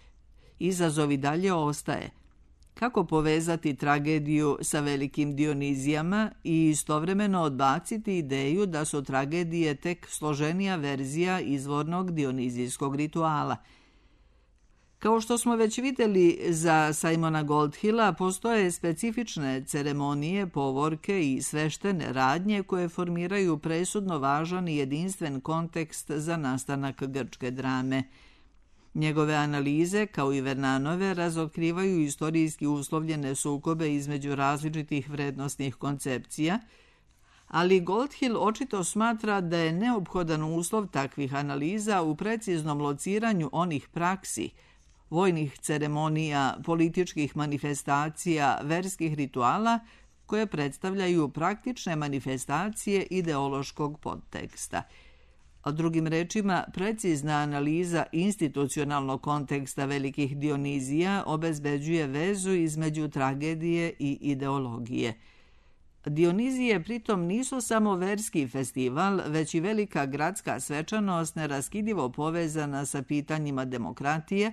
Speaker 1: Izazov i dalje ostaje. Kako povezati tragediju sa velikim Dionizijama i istovremeno odbaciti ideju da su tragedije tek složenija verzija izvornog dionizijskog rituala? Kao što smo već vidjeli, za Simona Goldhilla postoje specifične ceremonije, povorke i sveštene radnje koje formiraju presudno važan i jedinstven kontekst za nastanak grčke drame. Njegove analize, kao i Vernanove, razotkrivaju istorijski uslovljene sukobe između različitih vrednostnih koncepcija, ali Goldhill očito smatra da je neophodan uslov takvih analiza u preciznom lociranju onih praksi, vojnih ceremonija, političkih manifestacija, verskih rituala, koje predstavljaju praktične manifestacije ideološkog podteksta. A drugim rečima, precizna analiza institucionalnog konteksta velikih Dionizija obezbeđuje vezu između tragedije i ideologije. Dionizije pritom nisu samo verski festival, već i velika gradska svečanost neraskidivo povezana sa pitanjima demokratije,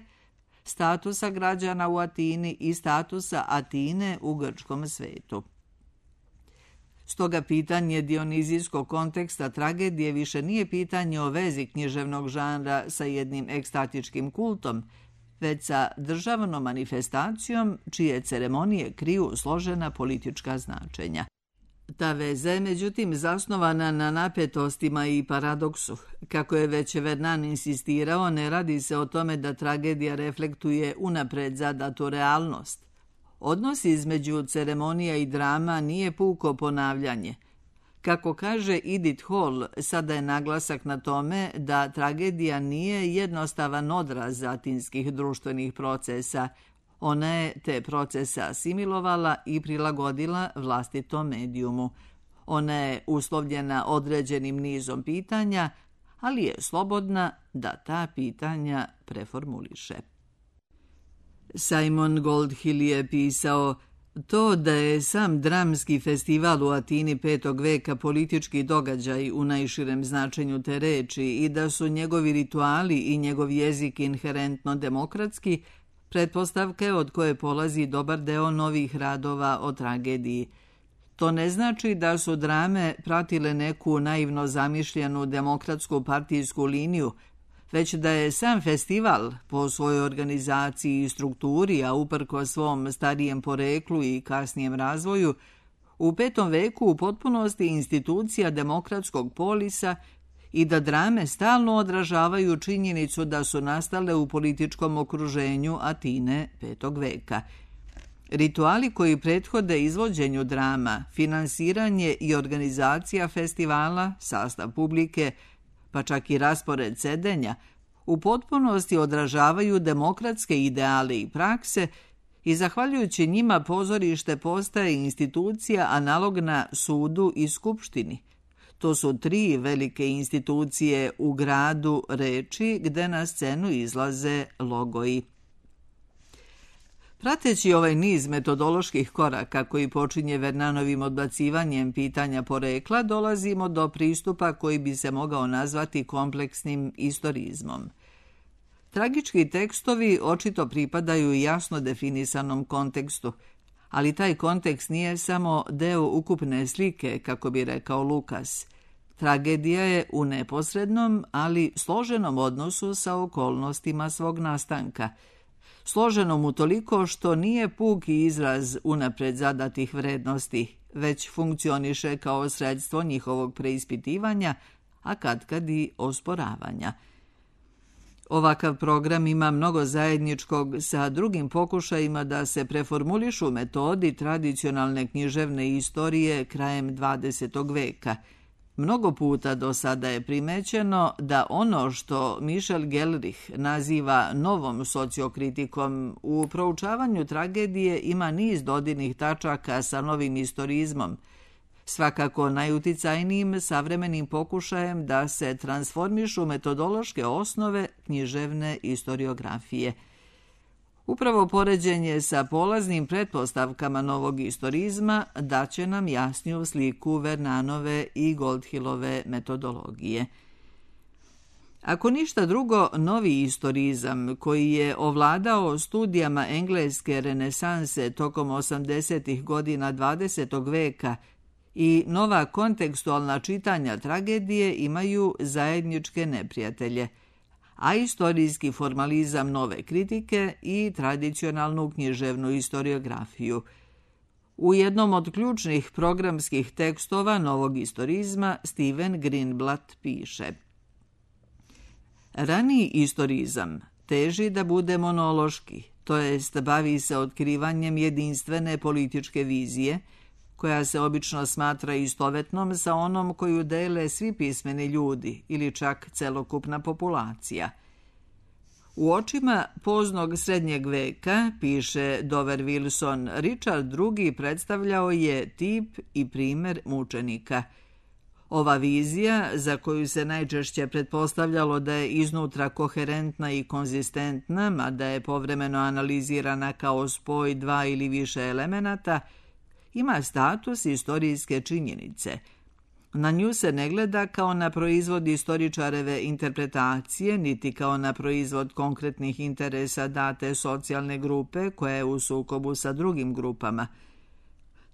Speaker 1: statusa građana u Atini i statusa Atine u grčkom svetu. Stoga pitanje dionizijskog konteksta tragedije više nije pitanje o vezi književnog žanra sa jednim ekstatičkim kultom, već sa državnom manifestacijom čije ceremonije kriju složena politička značenja. Ta veza je međutim zasnovana na napetostima i paradoksu. Kako je već Vernan insistirao, ne radi se o tome da tragedija reflektuje unapred zadatu realnost. Odnos između ceremonija i drama nije puko ponavljanje. Kako kaže Edith Hall, sada je naglasak na tome da tragedija nije jednostavan odraz atinskih društvenih procesa. Ona je te procese asimilovala i prilagodila vlastitom medijumu. Ona je uslovljena određenim nizom pitanja, ali je slobodna da ta pitanja preformuliše. Simon Goldhill je pisao: to da je sam dramski festival u Atini 5. veka politički događaj u najširem značenju te reči i da su njegovi rituali i njegov jezik inherentno demokratski, pretpostavka je od koje polazi dobar deo novih radova o tragediji. To ne znači da su drame pratile neku naivno zamišljenu demokratsku partijsku liniju, već da je sam festival po svojoj organizaciji i strukturi, a uprko svom starijem poreklu i kasnijem razvoju, u 5. veku u potpunosti institucija demokratskog polisa i da drame stalno odražavaju činjenicu da su nastale u političkom okruženju Atine 5. veka. Rituali koji prethode izvođenju drama, finansiranje i organizacija festivala, sastav publike, pa čak i raspored sedenja, u potpunosti odražavaju demokratske ideale i prakse i zahvaljujući njima pozorište postaje institucija analogna sudu i skupštini. To su 3 velike institucije u gradu reči gde na scenu izlaze logoji. Prateći ovaj niz metodoloških koraka koji počinje Vernanovim odbacivanjem pitanja porekla, dolazimo do pristupa koji bi se mogao nazvati kompleksnim istorizmom. Tragički tekstovi očito pripadaju jasno definisanom kontekstu, ali taj kontekst nije samo deo ukupne slike, kako bi rekao Lukas. Tragedija je u neposrednom, ali složenom odnosu sa okolnostima svog nastanka. Složenom utoliko što nije puki izraz unapred zadatih vrednosti, već funkcioniše kao sredstvo njihovog preispitivanja, a katkad i osporavanja. Ovakav program ima mnogo zajedničkog sa drugim pokušajima da se preformulišu metodi tradicionalne književne istorije krajem 20. veka. Mnogo puta do sada je primećeno da ono što Michel Gelrich naziva novom sociokritikom u proučavanju tragedije ima niz dodirnih tačaka sa novim istorizmom, svakako najuticajnijim savremenim pokušajem da se transformišu metodološke osnove književne istoriografije. Upravo poređenje sa polaznim pretpostavkama novog istorizma daće nam jasniju sliku Vernanove i Goldhillove metodologije. Ako ništa drugo, novi istorizam, koji je ovladao studijama engleske renesanse tokom 80. godina 20. veka i nova kontekstualna čitanja tragedije imaju zajedničke neprijatelje, a istorijski formalizam nove kritike i tradicionalnu književnu istoriografiju. U jednom od ključnih programskih tekstova novog istorizma Stephen Greenblatt piše: raniji istorizam teži da bude monološki, to jest bavi se otkrivanjem jedinstvene političke vizije, koja se obično smatra istovetnom sa onom koju dele svi pismeni ljudi ili čak celokupna populacija. U očima poznog srednjeg veka, piše Dover Wilson, Richard II. Predstavljao je tip i primer mučenika. Ova vizija, za koju se najčešće pretpostavljalo da je iznutra koherentna i konzistentna, mada je povremeno analizirana kao spoj dva ili više elemenata, ima status istorijske činjenice. Na nju se ne gleda kao na proizvod istoričareve interpretacije, niti kao na proizvod konkretnih interesa date socijalne grupe koja je u sukobu sa drugim grupama.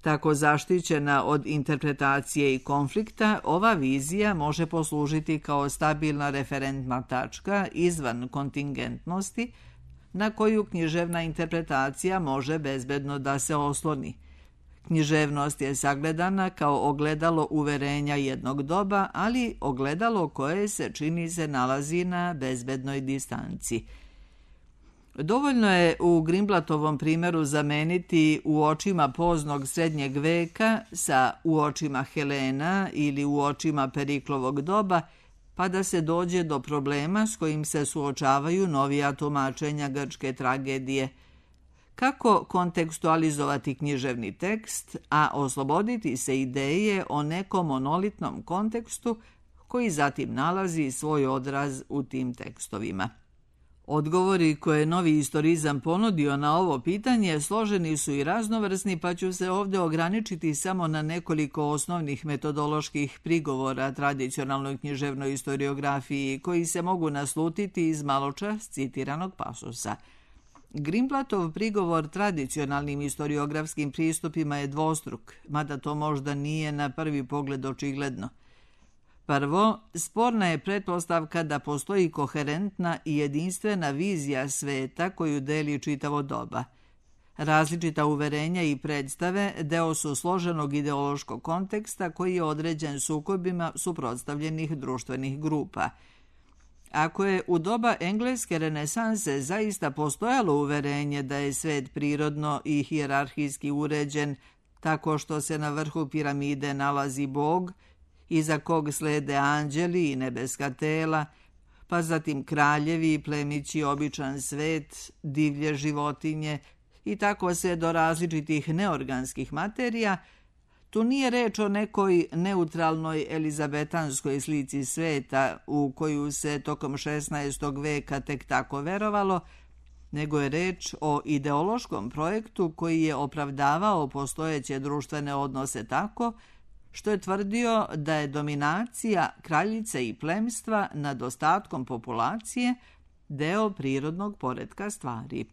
Speaker 1: Tako zaštićena od interpretacije i konflikta, ova vizija može poslužiti kao stabilna referentna tačka izvan kontingentnosti na koju književna interpretacija može bezbedno da se osloni. Književnost je sagledana kao ogledalo uverenja jednog doba, ali ogledalo koje se čini se nalazi na bezbednoj distanci. Dovoljno je u Greenblattovom primjeru zameniti u očima poznog srednjeg veka sa u očima Helena ili u očima Periklovog doba, pa da se dođe do problema s kojim se suočavaju novija tumačenja grčke tragedije. Kako kontekstualizovati književni tekst, a osloboditi se ideje o nekom monolitnom kontekstu koji zatim nalazi svoj odraz u tim tekstovima. Odgovori koje je novi istorizam ponudio na ovo pitanje složeni su i raznovrsni, pa ću se ovdje ograničiti samo na nekoliko osnovnih metodoloških prigovora tradicionalnoj književnoj istoriografiji koji se mogu naslutiti iz maločas citiranog pasusa. Greenblattov prigovor tradicionalnim istoriografskim pristupima je dvostruk, mada to možda nije na prvi pogled očigledno. Prvo, sporna je pretpostavka da postoji koherentna i jedinstvena vizija sveta koju deli čitavo doba. Različita uverenja i predstave deo su složenog ideološkog konteksta koji je određen sukobima suprotstavljenih društvenih grupa. Ako je u doba engleske renesanse zaista postojalo uverenje da je svet prirodno i hijerarhijski uređen, tako što se na vrhu piramide nalazi Bog, iza kog slede anđeli i nebeska tela, pa zatim kraljevi, plemići, običan svet, divlje životinje i tako se do različitih neorganskih materija, tu nije reč o nekoj neutralnoj elizabetanskoj slici sveta u koju se tokom 16. veka tek tako verovalo, nego je reč o ideološkom projektu koji je opravdavao postojeće društvene odnose tako što je tvrdio da je dominacija kraljice i plemstva nad ostatkom populacije deo prirodnog poretka stvari.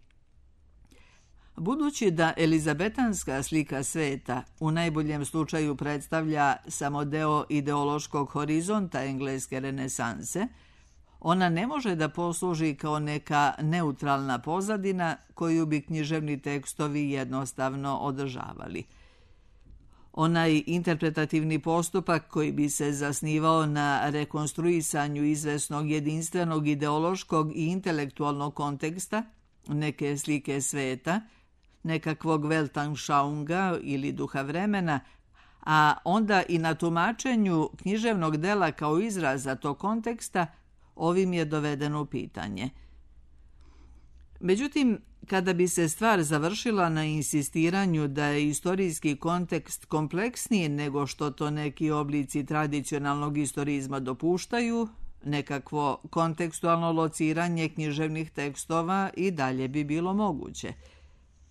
Speaker 1: Budući da elizabetanska slika sveta u najboljem slučaju predstavlja samo deo ideološkog horizonta engleske renesanse, ona ne može da posluži kao neka neutralna pozadina koju bi književni tekstovi jednostavno održavali. Onaj interpretativni postupak koji bi se zasnivao na rekonstruisanju izvesnog jedinstvenog ideološkog i intelektualnog konteksta, neke slike sveta, nekakvog Weltanschauunga ili duha vremena, a onda i na tumačenju književnog dela kao izraza tog konteksta, ovim je dovedeno u pitanje. Međutim, Kada bi se stvar završila na insistiranju da je istorijski kontekst kompleksniji nego što to neki oblici tradicionalnog istorizma dopuštaju, nekakvo kontekstualno lociranje književnih tekstova i dalje bi bilo moguće.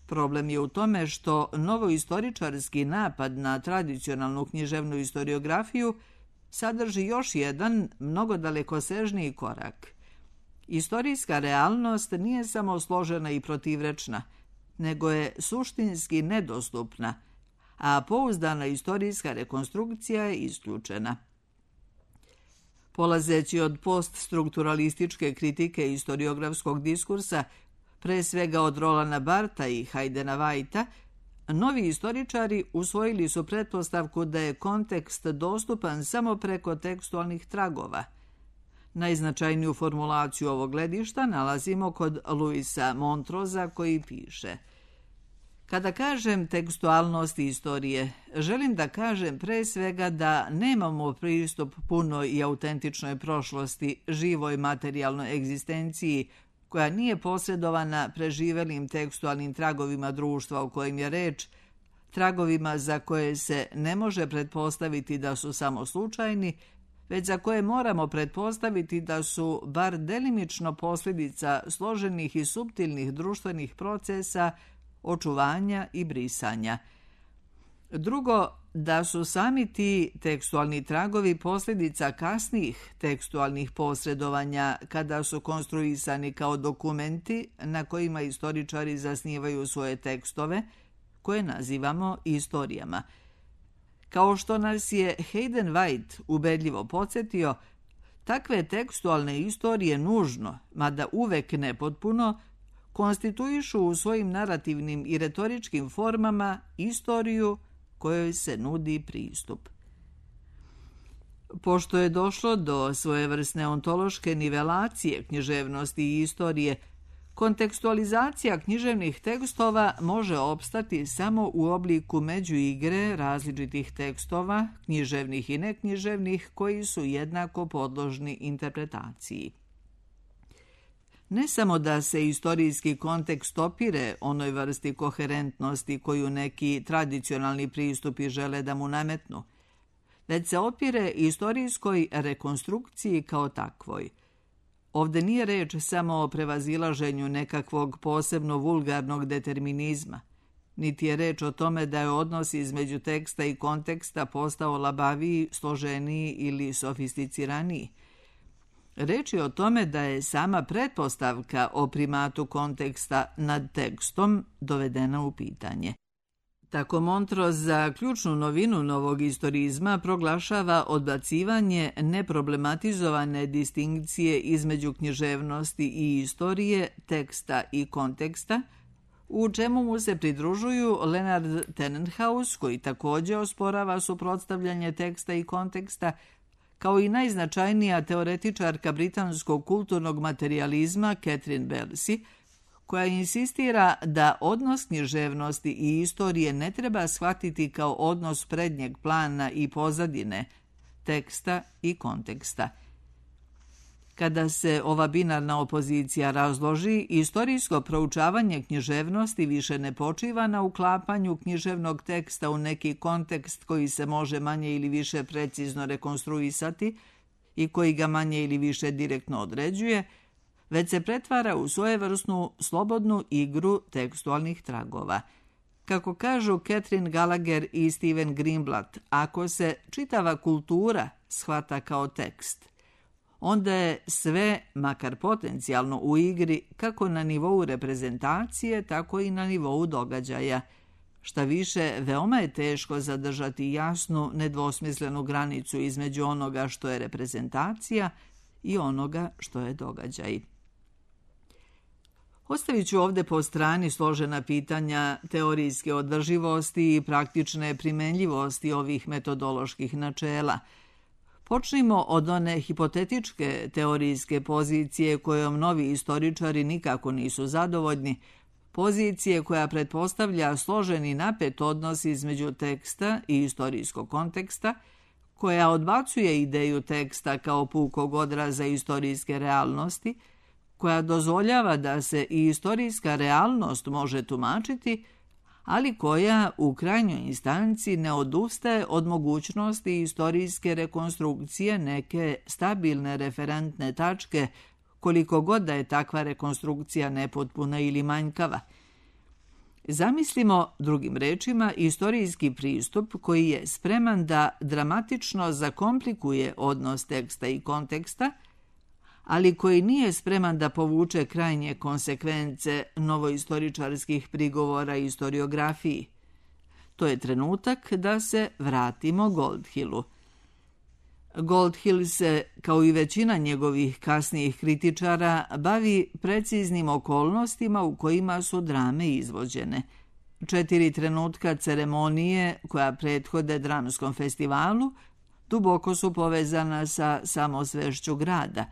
Speaker 1: Problem je u tome što novoistoričarski napad na tradicionalnu književnu istoriografiju sadrži još jedan mnogo dalekosežniji korak. Istorijska realnost nije samo složena i protivrečna, nego je suštinski nedostupna, a pouzdana istorijska rekonstrukcija je isključena. Polazeći od poststrukturalističke kritike istoriografskog diskursa, pre svega od Rolanda Bartha i Haydena Whitea, novi istoričari usvojili su pretpostavku da je kontekst dostupan samo preko tekstualnih tragova. Najznačajniju formulaciju ovog gledišta nalazimo kod Louisa Montrosa koji piše: Kada kažem tekstualnost istorije, želim da kažem pre svega da nemamo pristup punoj i autentičnoj prošlosti, živoj materijalnoj egzistenciji, koja nije posredovana preživelim tekstualnim tragovima društva o kojim je reč, tragovima za koje se ne može pretpostaviti da su samo slučajni, već za koje moramo pretpostaviti da su bar delimično posljedica složenih i suptilnih društvenih procesa, očuvanja i brisanja. Drugo, da su sami ti tekstualni tragovi posljedica kasnijih tekstualnih posredovanja kada su konstruisani kao dokumenti na kojima istoričari zasnivaju svoje tekstove, koje nazivamo istorijama. Kao što nas je Hayden White ubedljivo podsjetio, takve tekstualne istorije nužno, mada uvek nepotpuno, konstituišu u svojim narativnim i retoričkim formama istoriju kojoj se nudi pristup. Pošto je došlo do svojevrsne ontološke nivelacije književnosti i istorije, kontekstualizacija književnih tekstova može opstati samo u obliku međuigre različitih tekstova, književnih i neknjiževnih, koji su jednako podložni interpretaciji. Ne samo da se istorijski kontekst opire onoj vrsti koherentnosti koju neki tradicionalni pristupi žele da mu nametnu, već se opire istorijskoj rekonstrukciji kao takvoj. Ovde nije reč samo o prevazilaženju nekakvog posebno vulgarnog determinizma, niti je reč o tome da je odnos između teksta i konteksta postao labaviji, složeniji ili sofisticiraniji. Reč je o tome da je sama pretpostavka o primatu konteksta nad tekstom dovedena u pitanje. Tako Montrose za ključnu novinu novog istorizma proglašava odbacivanje neproblematizovane distinkcije između književnosti i istorije, teksta i konteksta, u čemu mu se pridružuju Leonard Tannenhaus, koji također osporava suprotstavljanje teksta i konteksta, kao i najznačajnija teoretičarka britanskog kulturnog materijalizma Catherine Belsey, koja insistira da odnos književnosti i istorije ne treba shvatiti kao odnos prednjeg plana i pozadine, teksta i konteksta. Kada se ova binarna opozicija razloži, istorijsko proučavanje književnosti više ne počiva na uklapanju književnog teksta u neki kontekst koji se može manje ili više precizno rekonstruisati i koji ga manje ili više direktno određuje, već se pretvara u svojevrsnu slobodnu igru tekstualnih tragova. Kako kažu Catherine Gallagher i Steven Greenblatt, ako se čitava kultura shvata kao tekst, onda je sve, makar potencijalno, u igri kako na nivou reprezentacije, tako i na nivou događaja. Šta više, veoma je teško zadržati jasnu, nedvosmislenu granicu između onoga što je reprezentacija i onoga što je događaj. Ostavit ću ovde po strani složena pitanja teorijske održivosti i praktične primenljivosti ovih metodoloških načela. Počnimo od one hipotetičke teorijske pozicije kojom novi istoričari nikako nisu zadovoljni, pozicije koja pretpostavlja složeni napet odnos između teksta i istorijskog konteksta, koja odbacuje ideju teksta kao pukog odraza istorijske realnosti, koja dozvoljava da se i istorijska realnost može tumačiti, ali koja u krajnjoj instanci ne odustaje od mogućnosti istorijske rekonstrukcije neke stabilne referentne tačke, koliko god da je takva rekonstrukcija nepotpuna ili manjkava. Zamislimo, drugim rečima, istorijski pristup koji je spreman da dramatično zakomplikuje odnos teksta i konteksta, ali koji nije spreman da povuče krajnje konsekvence novoistoričarskih prigovora i historiografiji. To je trenutak da se vratimo Goldhillu. Goldhill se, kao i većina njegovih kasnijih kritičara, bavi preciznim okolnostima u kojima su drame izvođene. 4 trenutka ceremonije koja prethode dramskom festivalu duboko su povezana sa samosvešću grada.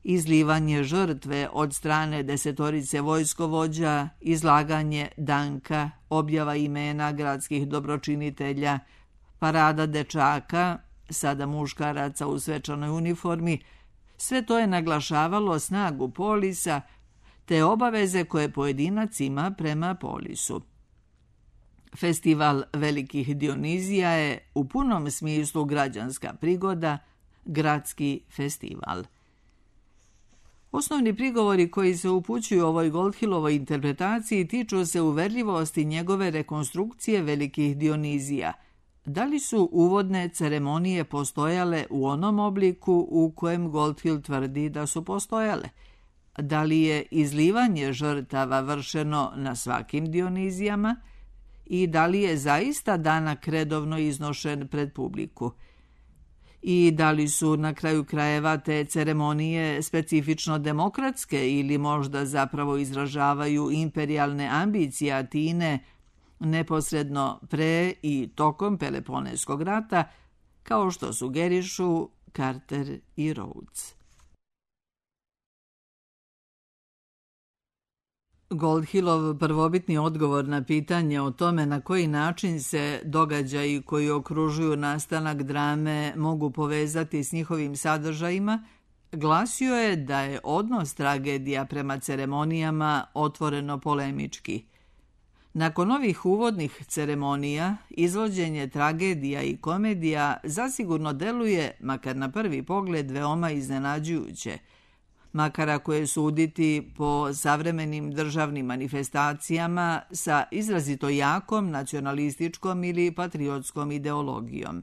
Speaker 1: Izlivanje žrtve od strane 10 vojskovođa, izlaganje danka, objava imena gradskih dobročinitelja, parada dečaka, sada muškaraca u svečanoj uniformi, sve to je naglašavalo snagu polisa te obaveze koje pojedinac ima prema polisu. Festival Velikih Dionizija je u punom smislu građanska prigoda, gradski festival. Osnovni prigovori koji se upućuju ovoj Goldhillovoj interpretaciji tiču se uverljivosti njegove rekonstrukcije Velikih Dionizija. Da li su uvodne ceremonije postojale u onom obliku u kojem Goldhill tvrdi da su postojale? Da li je izlivanje žrtava vršeno na svakim Dionizijama? I da li je zaista danak redovno iznošen pred publiku? I da li su na kraju krajeva te ceremonije specifično demokratske ili možda zapravo izražavaju imperijalne ambicije Atine neposredno pre i tokom Peloponeskog rata, kao što sugerišu Carter i Rhodes. Goldhillov prvobitni odgovor na pitanje o tome na koji način se događaji koji okružuju nastanak drame mogu povezati s njihovim sadržajima glasio je da je odnos tragedija prema ceremonijama otvoreno polemički. Nakon ovih uvodnih ceremonija, izvođenje tragedija i komedija zasigurno deluje, makar na prvi pogled, veoma iznenađujuće, makar ako je suditi po savremenim državnim manifestacijama sa izrazito jakom nacionalističkom ili patriotskom ideologijom.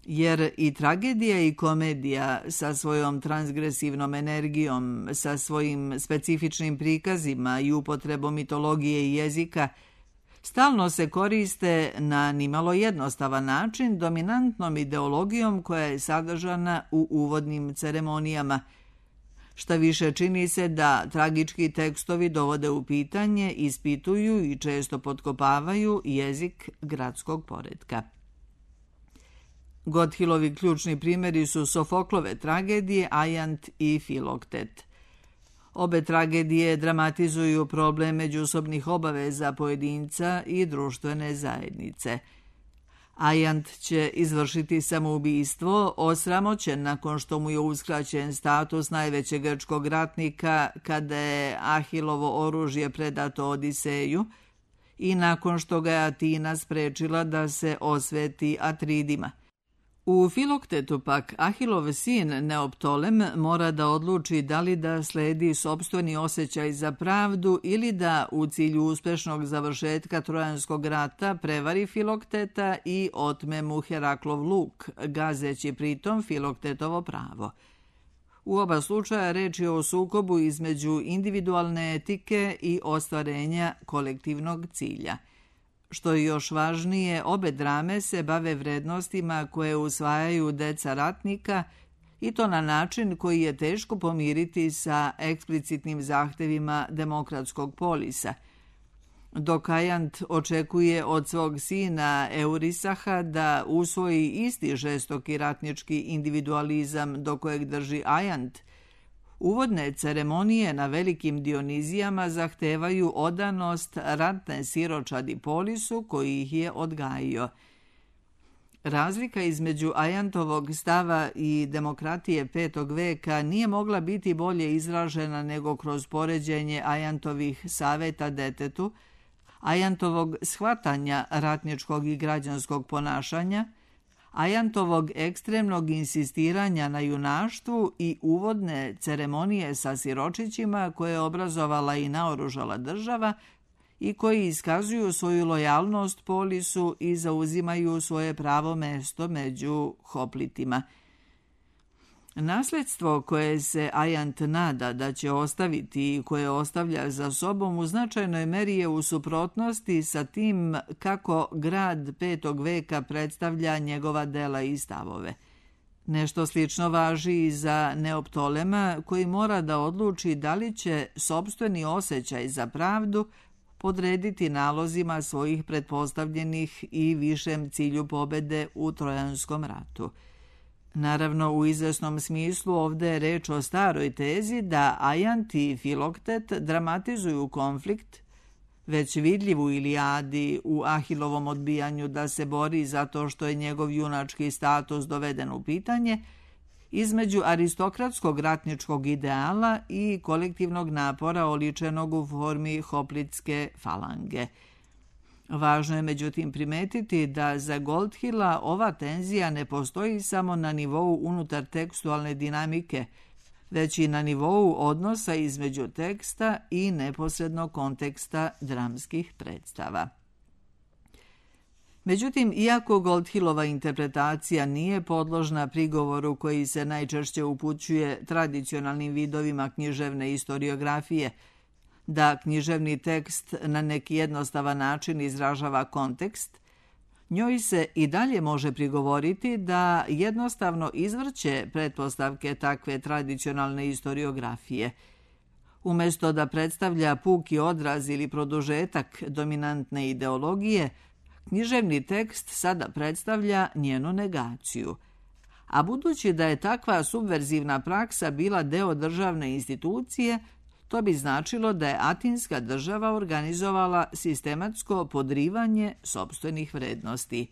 Speaker 1: Jer i tragedija i komedija sa svojom transgresivnom energijom, sa svojim specifičnim prikazima i upotrebom mitologije i jezika, stalno se koriste na nimalo jednostavan način dominantnom ideologijom koja je sadržana u uvodnim ceremonijama. Šta više, čini se da tragički tekstovi dovode u pitanje, ispituju i često potkopavaju jezik gradskog poretka. Goldhillovi ključni primjeri su Sofoklove tragedije Ajant i Filoktet. Obe tragedije dramatizuju problem međusobnih obaveza pojedinca i društvene zajednice. Ajant će izvršiti samoubistvo, osramoćen nakon što mu je uskraćen status najvećeg grčkog ratnika kada je Ahilovo oružje predato Odiseju i nakon što ga je Atina sprečila da se osveti Atridima. U Filoktetu pak Ahilov sin Neoptolem mora da odluči da li da sledi sopstveni osjećaj za pravdu ili da u cilju uspešnog završetka Trojanskog rata prevari Filokteta i otme mu Heraklov luk, gazeći pritom Filoktetovo pravo. U oba slučaja reč je o sukobu između individualne etike i ostvarenja kolektivnog cilja. Što je još važnije, obe drame se bave vrednostima koje usvajaju deca ratnika i to na način koji je teško pomiriti sa eksplicitnim zahtevima demokratskog polisa. Dok Ajant očekuje od svog sina Eurisaha da usvoji isti žestoki ratnički individualizam do kojeg drži Ajant, uvodne ceremonije na velikim Dionizijama zahtevaju odanost ratne siročadi polisu koji ih je odgajio. Razlika između Ajantovog stava i demokratije 5. veka nije mogla biti bolje izražena nego kroz poređenje Ajantovih saveta detetu, Ajantovog shvatanja ratničkog i građanskog ponašanja, Ajantovog ekstremnog insistiranja na junaštvu i uvodne ceremonije sa siročićima koje je obrazovala i naoružala država i koji iskazuju svoju lojalnost polisu i zauzimaju svoje pravo mesto među hoplitima. Nasledstvo koje se Ajant nada da će ostaviti i koje ostavlja za sobom u značajnoj meri je u suprotnosti sa tim kako grad 5. veka predstavlja njegova dela i stavove. Nešto slično važi i za Neoptolema, koji mora da odluči da li će sopstveni osjećaj za pravdu podrediti nalozima svojih pretpostavljenih i višem cilju pobede u Trojanskom ratu. Naravno, u izvesnom smislu ovdje je reč o staroj tezi da Ajant i Filoktet dramatizuju konflikt, već vidljiv u Ilijadi, u Ahilovom odbijanju da se bori zato što je njegov junački status doveden u pitanje, između aristokratskog ratničkog ideala i kolektivnog napora oličenog u formi hoplitske falange. Važno je međutim primetiti da za Goldhilla ova tenzija ne postoji samo na nivou unutar tekstualne dinamike, već i na nivou odnosa između teksta i neposrednog konteksta dramskih predstava. Međutim, iako Goldhillova interpretacija nije podložna prigovoru koji se najčešće upućuje tradicionalnim vidovima književne istoriografije, da književni tekst na neki jednostavan način izražava kontekst, njoj se i dalje može prigovoriti da jednostavno izvrće pretpostavke takve tradicionalne istoriografije. Umjesto da predstavlja puki odraz ili produžetak dominantne ideologije, književni tekst sada predstavlja njenu negaciju. A budući da je takva subverzivna praksa bila deo državne institucije, to bi značilo da je Atinska država organizovala sistematsko podrivanje sopstvenih vrednosti.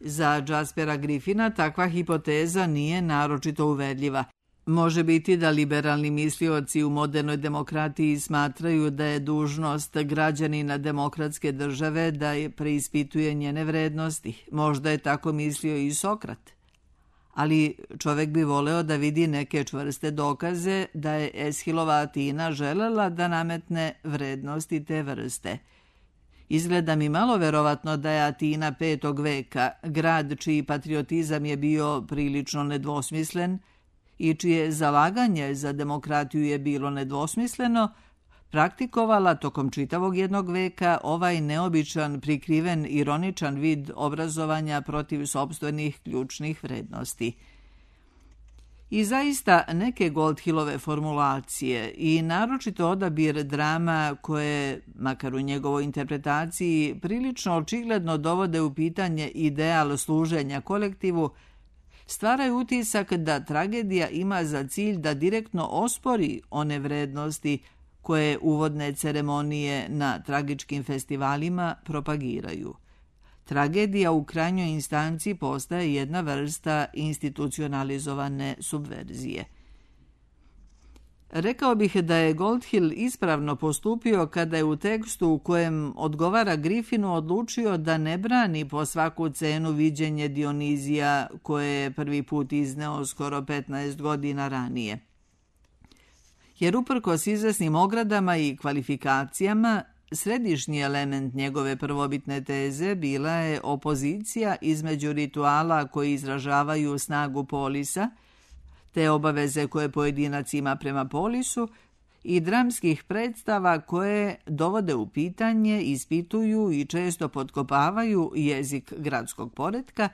Speaker 1: Za Jaspera Griffina takva hipoteza nije naročito uverljiva. Može biti da liberalni mislioci u modernoj demokratiji smatraju da je dužnost građanina demokratske države da je preispituje njene vrednosti. Možda je tako mislio i Sokrat. Ali čovjek bi voleo da vidi neke čvrste dokaze da je Eshilova Atina želela da nametne vrednosti te vrste. Izgleda mi malo verovatno da je Atina 5. veka, grad čiji patriotizam je bio prilično nedvosmislen i čije zalaganje za demokratiju je bilo nedvosmisleno, praktikovala tokom čitavog 1. veka ovaj neobičan, prikriven, ironičan vid obrazovanja protiv sopstvenih ključnih vrednosti. I zaista neke Goldhillove formulacije i naročito odabir drama koje, makar u njegovoj interpretaciji, prilično očigledno dovode u pitanje ideal služenja kolektivu, stvaraju utisak da tragedija ima za cilj da direktno ospori one vrednosti koje uvodne ceremonije na tragičkim festivalima propagiraju. Tragedija u krajnjoj instanci postaje jedna vrsta institucionalizovane subverzije. Rekao bih da je Goldhill ispravno postupio kada je u tekstu u kojem odgovara Griffinu odlučio da ne brani po svaku cenu viđenje Dionizija koje je prvi put izneo skoro 15 godina ranije. Jer uprkos izvesnim ogradama i kvalifikacijama, središnji element njegove prvobitne teze bila je opozicija između rituala koji izražavaju snagu polisa, te obaveze koje pojedinac ima prema polisu, i dramskih predstava koje dovode u pitanje, ispituju i često potkopavaju jezik gradskog poretka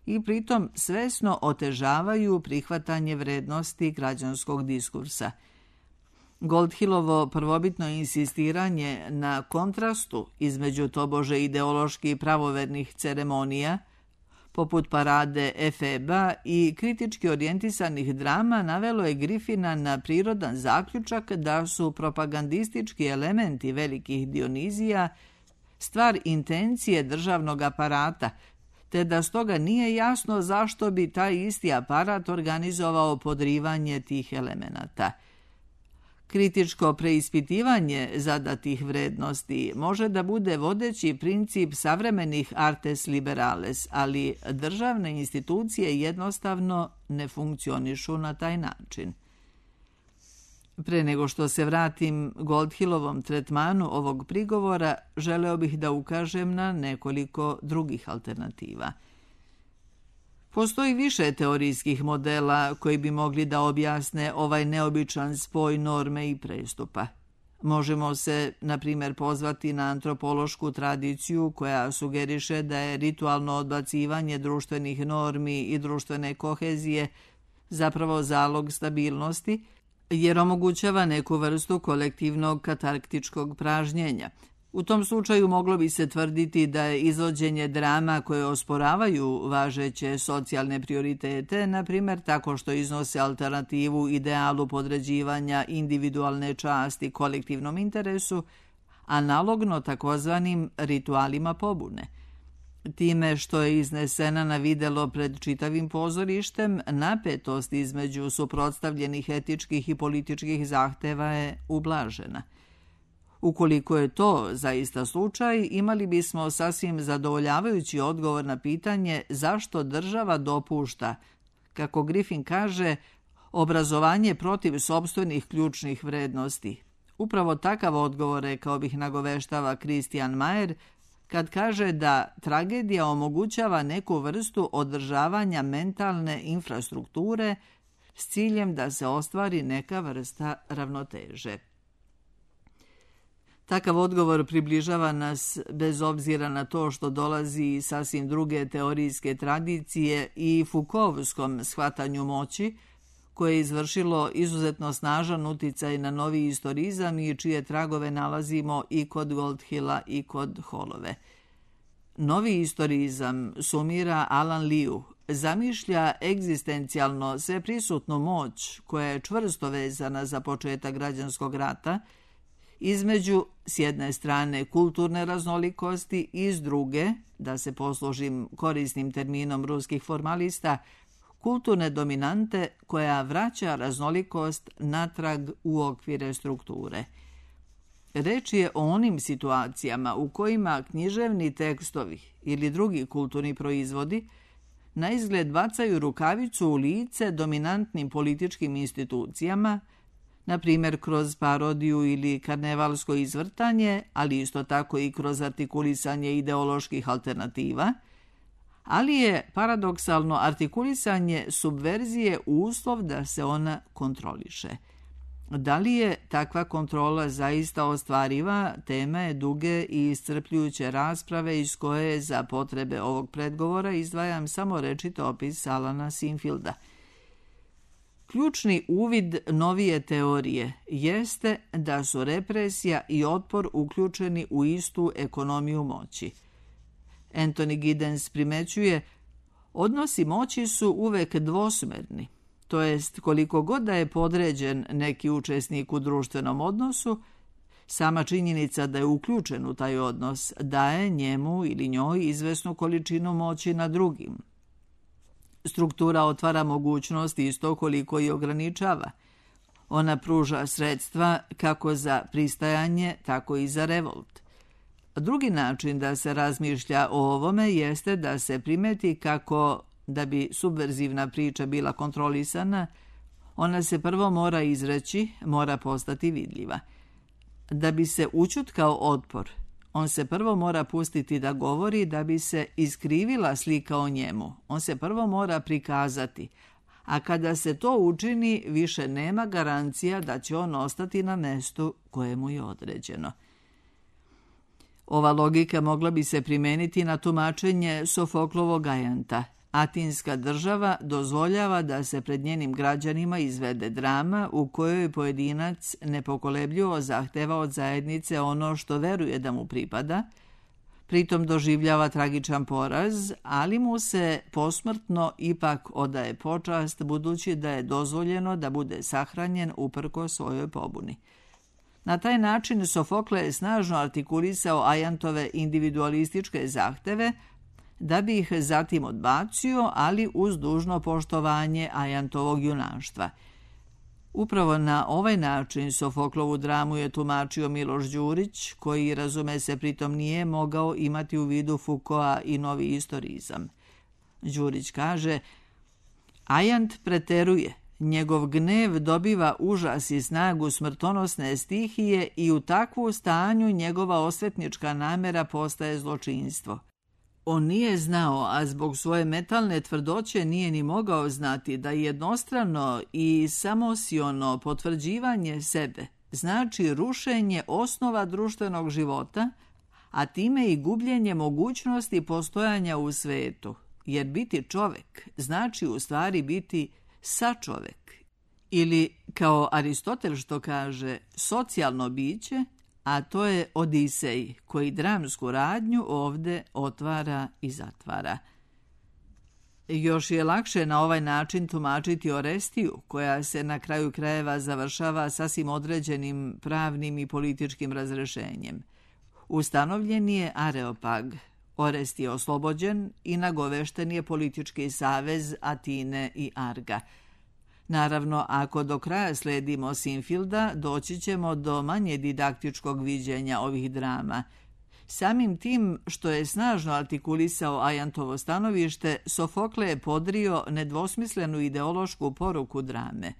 Speaker 1: i pritom svesno otežavaju prihvatanje vrednosti građanskog diskursa. Goldhillovo prvobitno insistiranje na kontrastu između tobože ideološki pravovernih ceremonija, poput parade Efeba i kritički orijentisanih drama, navelo je Griffina na prirodan zaključak da su propagandistički elementi velikih Dionizija stvar intencije državnog aparata, te da stoga nije jasno zašto bi taj isti aparat organizovao podrivanje tih elemenata. Kritičko preispitivanje zadatih vrednosti može da bude vodeći princip savremenih artes liberales, ali državne institucije jednostavno ne funkcionišu na taj način. Pre nego što se vratim Goldhillovom tretmanu ovog prigovora, želeo bih da ukažem na nekoliko drugih alternativa. Postoji više teorijskih modela koji bi mogli da objasne ovaj neobičan spoj norme i prestupa. Možemo se, na primjer, pozvati na antropološku tradiciju koja sugeriše da je ritualno odbacivanje društvenih normi i društvene kohezije zapravo zalog stabilnosti, jer omogućava neku vrstu kolektivnog katarktičkog pražnjenja. U tom slučaju moglo bi se tvrditi da je izvođenje drama koje osporavaju važeće socijalne prioritete, na primjer tako što iznose alternativu idealu podređivanja individualne časti kolektivnom interesu, analogno takozvanim ritualima pobune. Time što je iznesena na videlo pred čitavim pozorištem, napetost između suprotstavljenih etičkih i političkih zahteva je ublažena. Ukoliko je to zaista slučaj, imali bismo sasvim zadovoljavajući odgovor na pitanje zašto država dopušta, kako Griffin kaže, obrazovanje protiv sopstvenih ključnih vrednosti. Upravo takav odgovor, rekao bih, nagoveštava Christian Mayer, kad kaže da tragedija omogućava neku vrstu održavanja mentalne infrastrukture s ciljem da se ostvari neka vrsta ravnoteže. Takav odgovor približava nas bez obzira na to što dolazi iz sasvim druge teorijske tradicije i Foucaultskom shvatanju moći, koje je izvršilo izuzetno snažan uticaj na novi istorizam i čije tragove nalazimo i kod Goldhilla i kod Hollove. Novi istorizam, sumira Alan Liu, zamišlja egzistencijalno sveprisutnu moć koja je čvrsto vezana za početak građanskog rata, između s jedne strane kulturne raznolikosti i s druge, da se poslužim korisnim terminom ruskih formalista, kulturne dominante koja vraća raznolikost natrag u okvire strukture. Reč je o onim situacijama u kojima književni tekstovi ili drugi kulturni proizvodi na izgled bacaju rukavicu u lice dominantnim političkim institucijama, na primjer kroz parodiju ili karnevalsko izvrtanje, ali isto tako i kroz artikulisanje ideoloških alternativa, ali je paradoksalno artikulisanje subverzije uslov da se ona kontroliše. Da li je takva kontrola zaista ostvariva, tema je duge i iscrpljujuće rasprave iz koje za potrebe ovog predgovora izdvajam samo rečit opis Alana Sinfielda. Ključni uvid novije teorije jeste da su represija i otpor uključeni u istu ekonomiju moći. Anthony Giddens primećuje, odnosi moći su uvek dvosmerni, to jest koliko god da je podređen neki učesnik u društvenom odnosu, sama činjenica da je uključen u taj odnos daje njemu ili njoj izvesnu količinu moći na drugim. Struktura otvara mogućnost isto koliko i ograničava. Ona pruža sredstva kako za pristajanje, tako i za revolt. Drugi način da se razmišlja o ovome jeste da se primeti kako, da bi subverzivna priča bila kontrolisana, ona se prvo mora izreći, mora postati vidljiva. Da bi se ućutkao otpor, on se prvo mora pustiti da govori da bi se iskrivila slika o njemu. On se prvo mora prikazati, a kada se to učini, više nema garancija da će on ostati na mestu kojemu je određeno. Ova logika mogla bi se primeniti na tumačenje Sofoklovog ajanta. Atinska država dozvoljava da se pred njenim građanima izvede drama u kojoj pojedinac nepokolebljivo zahteva od zajednice ono što veruje da mu pripada, pritom doživljava tragičan poraz, ali mu se posmrtno ipak odaje počast budući da je dozvoljeno da bude sahranjen uprkos svojoj pobuni. Na taj način Sofokle je snažno artikulisao ajantove individualističke zahteve, da bi ih zatim odbacio, ali uz dužno poštovanje Ajantovog junaštva. Upravo na ovaj način Sofoklovu dramu je tumačio Miloš Đurić, koji, razume se, pritom nije mogao imati u vidu Foucaulta i novi istorizam. Đurić kaže: Ajant preteruje, njegov gnev dobiva užas i snagu smrtonosne stihije i u takvu stanju njegova osvetnička namera postaje zločinstvo. On nije znao, a zbog svoje metalne tvrdoće nije ni mogao znati, da jednostrano i samosiono potvrđivanje sebe znači rušenje osnova društvenog života, a time i gubljenje mogućnosti postojanja u svetu, jer biti čovek znači u stvari biti sačovek, ili, kao Aristotel što kaže, socijalno biće, a to je Odisej, koji dramsku radnju ovde otvara i zatvara. Još je lakše na ovaj način tumačiti Orestiju, koja se na kraju krajeva završava sasvim određenim pravnim i političkim razrešenjem. Ustanovljen je Areopag, Orest je oslobođen i nagovešten je politički savez Atine i Arga. Naravno, ako do kraja sledimo Sinfilda, doći ćemo do manje didaktičkog viđenja ovih drama. Samim tim što je snažno artikulisao Ajantovo stanovište, Sofokle je podrio nedvosmislenu ideološku poruku drame.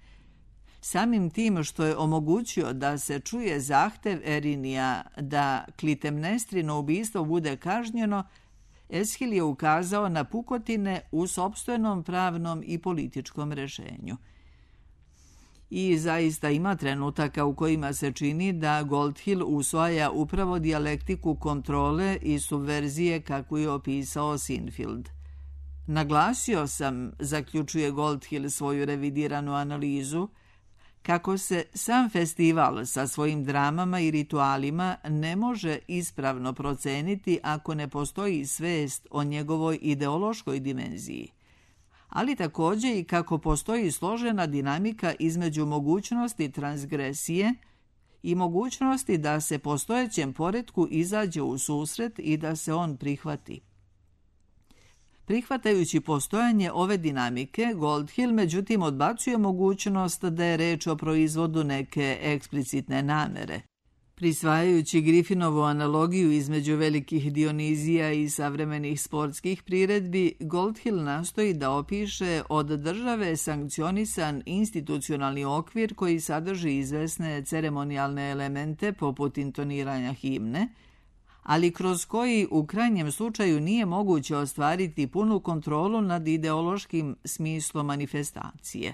Speaker 1: Samim tim što je omogućio da se čuje zahtev Erinija da Klitemnestrino ubistvo bude kažnjeno, Eschil je ukazao na pukotine u sopstvenom pravnom i političkom rešenju. I zaista ima trenutaka u kojima se čini da Goldhill usvaja upravo dijalektiku kontrole i subverzije kako je opisao Sinfield. Naglasio sam, zaključuje Goldhill svoju revidiranu analizu, kako se sam festival sa svojim dramama i ritualima ne može ispravno proceniti ako ne postoji svest o njegovoj ideološkoj dimenziji, ali također i kako postoji složena dinamika između mogućnosti transgresije i mogućnosti da se postojećem poretku izađe u susret i da se on prihvati. Prihvatajući postojanje ove dinamike, Goldhill međutim odbacuje mogućnost da je reč o proizvodu neke eksplicitne namere. Prisvajajući Griffinovu analogiju između velikih Dionizija i savremenih sportskih priredbi, Goldhill nastoji da opiše od države sankcionisan institucionalni okvir koji sadrži izvesne ceremonijalne elemente poput intoniranja himne, ali kroz koji u krajnjem slučaju nije moguće ostvariti punu kontrolu nad ideološkim smislom manifestacije.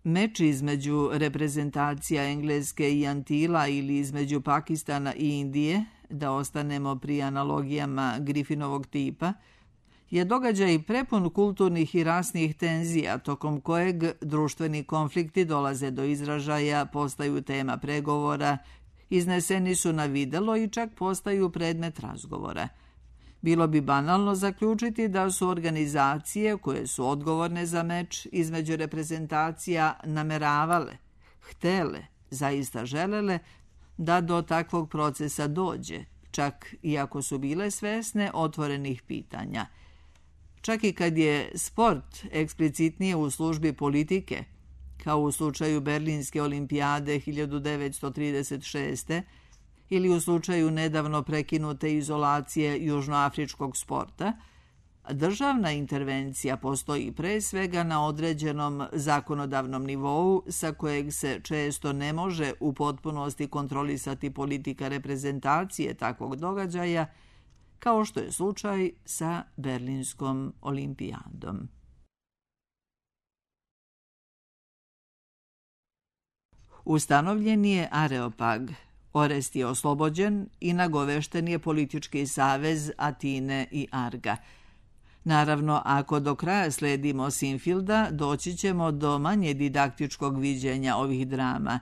Speaker 1: Meč između reprezentacija Engleske i Antila ili između Pakistana i Indije, da ostanemo pri analogijama Griffinovog tipa, je događaj prepun kulturnih i rasnih tenzija, tokom kojeg društveni konflikti dolaze do izražaja, postaju tema pregovora, izneseni su na videlo i čak postaju predmet razgovora. Bilo bi banalno zaključiti da su organizacije koje su odgovorne za meč između reprezentacija nameravale, htele, zaista želele da do takvog procesa dođe, čak i ako su bile svesne otvorenih pitanja. Čak i kad je sport eksplicitnije u službi politike, kao u slučaju Berlinske olimpijade 1936. ili u slučaju nedavno prekinute izolacije južnoafričkog sporta, državna intervencija postoji pre svega na određenom zakonodavnom nivou sa kojeg se često ne može u potpunosti kontrolisati politika reprezentacije takvog događaja, kao što je slučaj sa Berlinskom olimpijadom. Ustanovljen je Areopag, Orest je oslobođen i nagovešten je politički savez Atine i Arga. Naravno, ako do kraja sledimo Sinfilda, doći ćemo do manje didaktičkog viđenja ovih drama.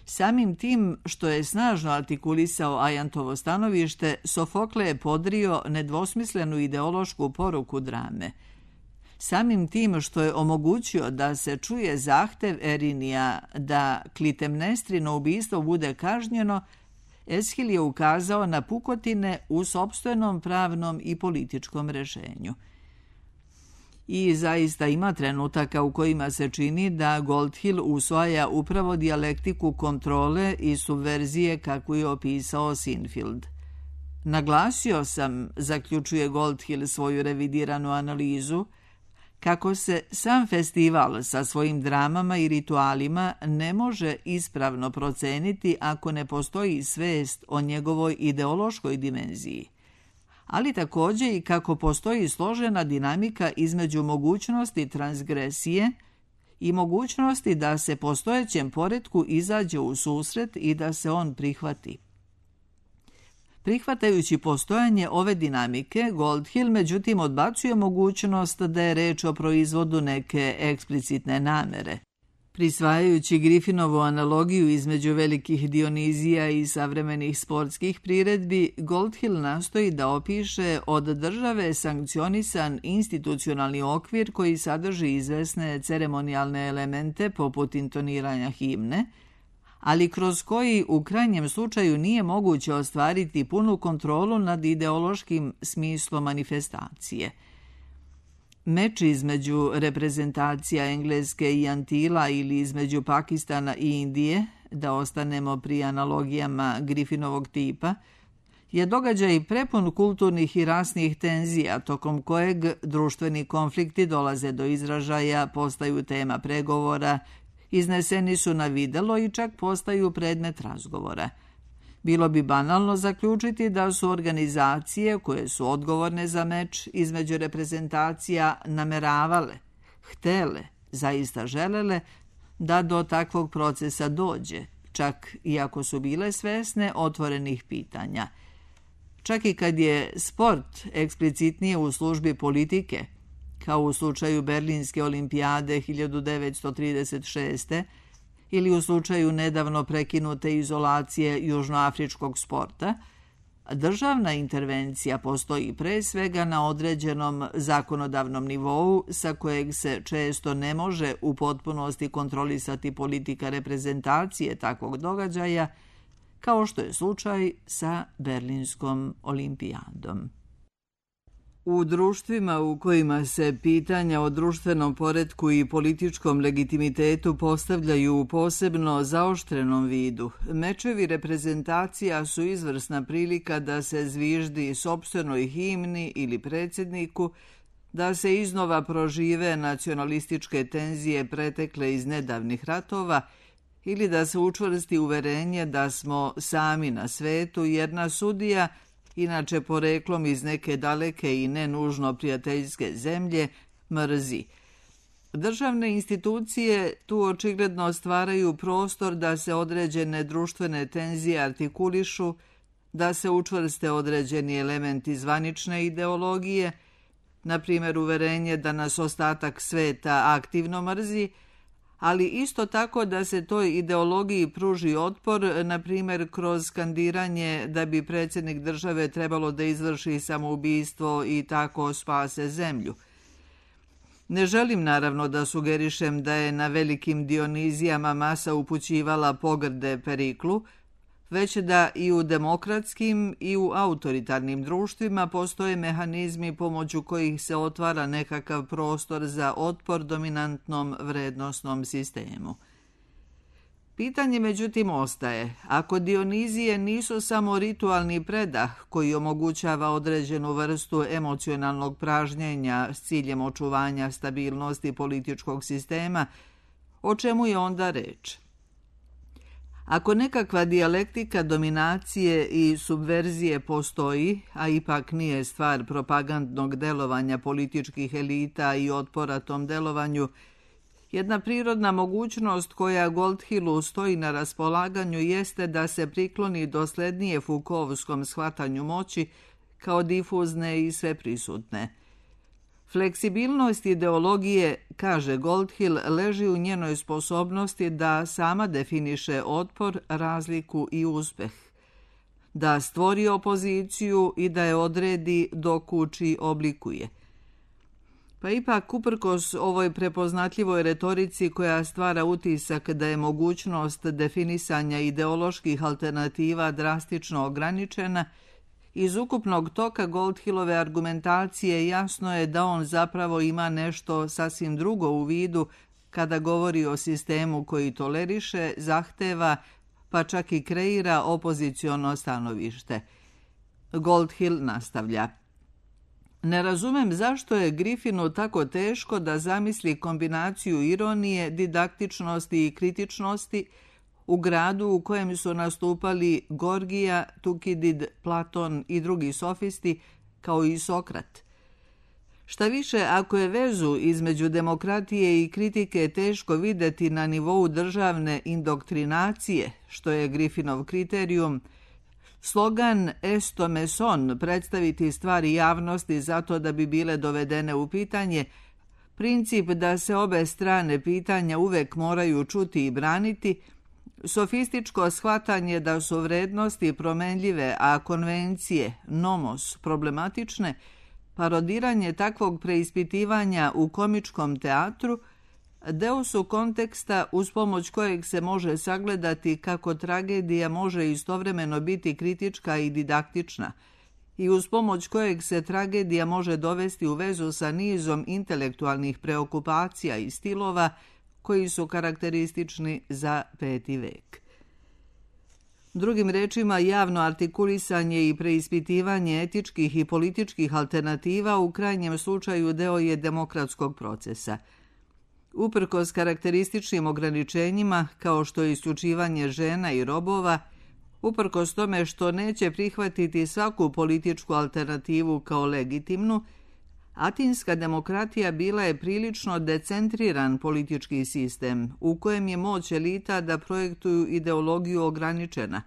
Speaker 1: Samim tim što je snažno artikulisao Ajantovo stanovište, Sofokle je podrio nedvosmislenu ideološku poruku drame. Samim tim što je omogućio da se čuje zahtev Erinija da Klitemnestrino ubistvo bude kažnjeno, Esquil je ukazao na pukotine u sopstvenom pravnom i političkom rešenju. I zaista ima trenutaka u kojima se čini da Goldhill usvaja upravo dijalektiku kontrole i subverzije kakvu je opisao Sinfield. Naglasio sam, zaključuje Goldhill svoju revidiranu analizu, kako se sam festival sa svojim dramama i ritualima ne može ispravno proceniti ako ne postoji svest o njegovoj ideološkoj dimenziji, ali također i kako postoji složena dinamika između mogućnosti transgresije i mogućnosti da se postojećem poretku izađe u susret i da se on prihvati. Prihvatajući postojanje ove dinamike, Goldhill međutim odbacuje mogućnost da je reč o proizvodu neke eksplicitne namere. Prisvajajući Griffinovu analogiju između velikih Dionizija i savremenih sportskih priredbi, Goldhill nastoji da opiše od države sankcionisan institucionalni okvir koji sadrži izvesne ceremonijalne elemente poput intoniranja himne, ali kroz koji u krajnjem slučaju nije moguće ostvariti punu kontrolu nad ideološkim smislom manifestacije. Meč između reprezentacija Engleske i Antila ili između Pakistana i Indije, da ostanemo pri analogijama Griffinovog tipa, je događaj prepun kulturnih i rasnih tenzija, tokom kojeg društveni konflikti dolaze do izražaja, postaju tema pregovora, izneseni su na videlo i čak postaju predmet razgovora. Bilo bi banalno zaključiti da su organizacije koje su odgovorne za meč između reprezentacija nameravale, htele, zaista želele da do takvog procesa dođe, čak i ako su bile svesne otvorenih pitanja. Čak i kad je sport eksplicitnije u službi politike, kao u slučaju Berlinske olimpijade 1936. ili u slučaju nedavno prekinute izolacije južnoafričkog sporta, državna intervencija postoji pre svega na određenom zakonodavnom nivou sa kojeg se često ne može u potpunosti kontrolisati politika reprezentacije takvog događaja, kao što je slučaj sa Berlinskom olimpijadom. U društvima u kojima se pitanja o društvenom poretku i političkom legitimitetu postavljaju u posebno zaoštrenom vidu, mečevi reprezentacija su izvrsna prilika da se zviždi sopstvenoj himni ili predsjedniku, da se iznova prožive nacionalističke tenzije pretekle iz nedavnih ratova ili da se učvrsti uverenje da smo sami na svetu jer nas sudija, inače poreklom iz neke daleke i nenužno prijateljske zemlje, mrzi. Državne institucije tu očigledno stvaraju prostor da se određene društvene tenzije artikulišu, da se učvrste određeni elementi zvanične ideologije, na primjer uverenje da nas ostatak sveta aktivno mrzi, ali isto tako da se toj ideologiji pruži otpor, na primjer kroz skandiranje da bi predsjednik države trebalo da izvrši samoubistvo i tako spase zemlju. Ne želim naravno da sugerišem da je na velikim Dionizijama masa upućivala pogrde Periklu, već da i u demokratskim i u autoritarnim društvima postoje mehanizmi pomoću kojih se otvara nekakav prostor za otpor dominantnom vrednosnom sistemu. Pitanje međutim ostaje, ako Dionizije nisu samo ritualni predah koji omogućava određenu vrstu emocionalnog pražnjenja s ciljem očuvanja stabilnosti političkog sistema, o čemu je onda reč? Ako nekakva dijalektika dominacije i subverzije postoji, a ipak nije stvar propagandnog delovanja političkih elita i otpora tom delovanju, jedna prirodna mogućnost koja Goldhillu stoji na raspolaganju jeste da se prikloni doslednije Foucaultskom shvatanju moći kao difuzne i sveprisutne. Fleksibilnost ideologije, kaže Goldhill, leži u njenoj sposobnosti da sama definiše otpor, razliku i uspeh, da stvori opoziciju i da je odredi, dokuči, oblikuje. Pa ipak, uprkos ovoj prepoznatljivoj retorici koja stvara utisak da je mogućnost definisanja ideoloških alternativa drastično ograničena, iz ukupnog toka Goldhillove argumentacije jasno je da on zapravo ima nešto sasvim drugo u vidu kada govori o sistemu koji toleriše, zahteva, pa čak i kreira opoziciono stanovište. Goldhill nastavlja. Ne razumem zašto je Griffinu tako teško da zamisli kombinaciju ironije, didaktičnosti i kritičnosti u gradu u kojem su nastupali Gorgija, Tukidid, Platon i drugi sofisti, kao i Sokrat. Šta više, ako je vezu između demokratije i kritike teško videti na nivou državne indoktrinacije, što je Griffinov kriterijum, slogan esto meson, predstaviti stvari javnosti zato da bi bile dovedene u pitanje, princip da se obe strane pitanja uvek moraju čuti i braniti, sofističko shvatanje da su vrednosti promenljive, a konvencije, nomos, problematične, parodiranje takvog preispitivanja u komičkom teatru, deo su konteksta uz pomoć kojeg se može sagledati kako tragedija može istovremeno biti kritička i didaktična i uz pomoć kojeg se tragedija može dovesti u vezu sa nizom intelektualnih preokupacija i stilova koji su karakteristični za 5. vek. Drugim rečima, javno artikulisanje i preispitivanje etičkih i političkih alternativa u krajnjem slučaju deo je demokratskog procesa. Uprkos karakterističnim ograničenjima, kao što je isključivanje žena i robova, uprkos tome što neće prihvatiti svaku političku alternativu kao legitimnu, atinska demokratija bila je prilično decentriran politički sistem u kojem je moć elita da projektuju ideologiju ograničena,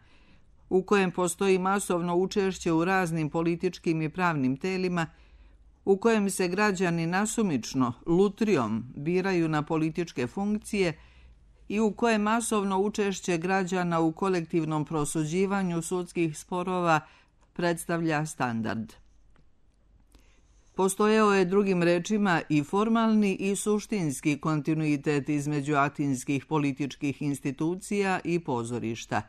Speaker 1: u kojem postoji masovno učešće u raznim političkim i pravnim telima, u kojem se građani nasumično, lutrijom, biraju na političke funkcije i u kojem masovno učešće građana u kolektivnom prosuđivanju sudskih sporova predstavlja standard. Postojao je, drugim rečima, i formalni i suštinski kontinuitet između atinskih političkih institucija i pozorišta.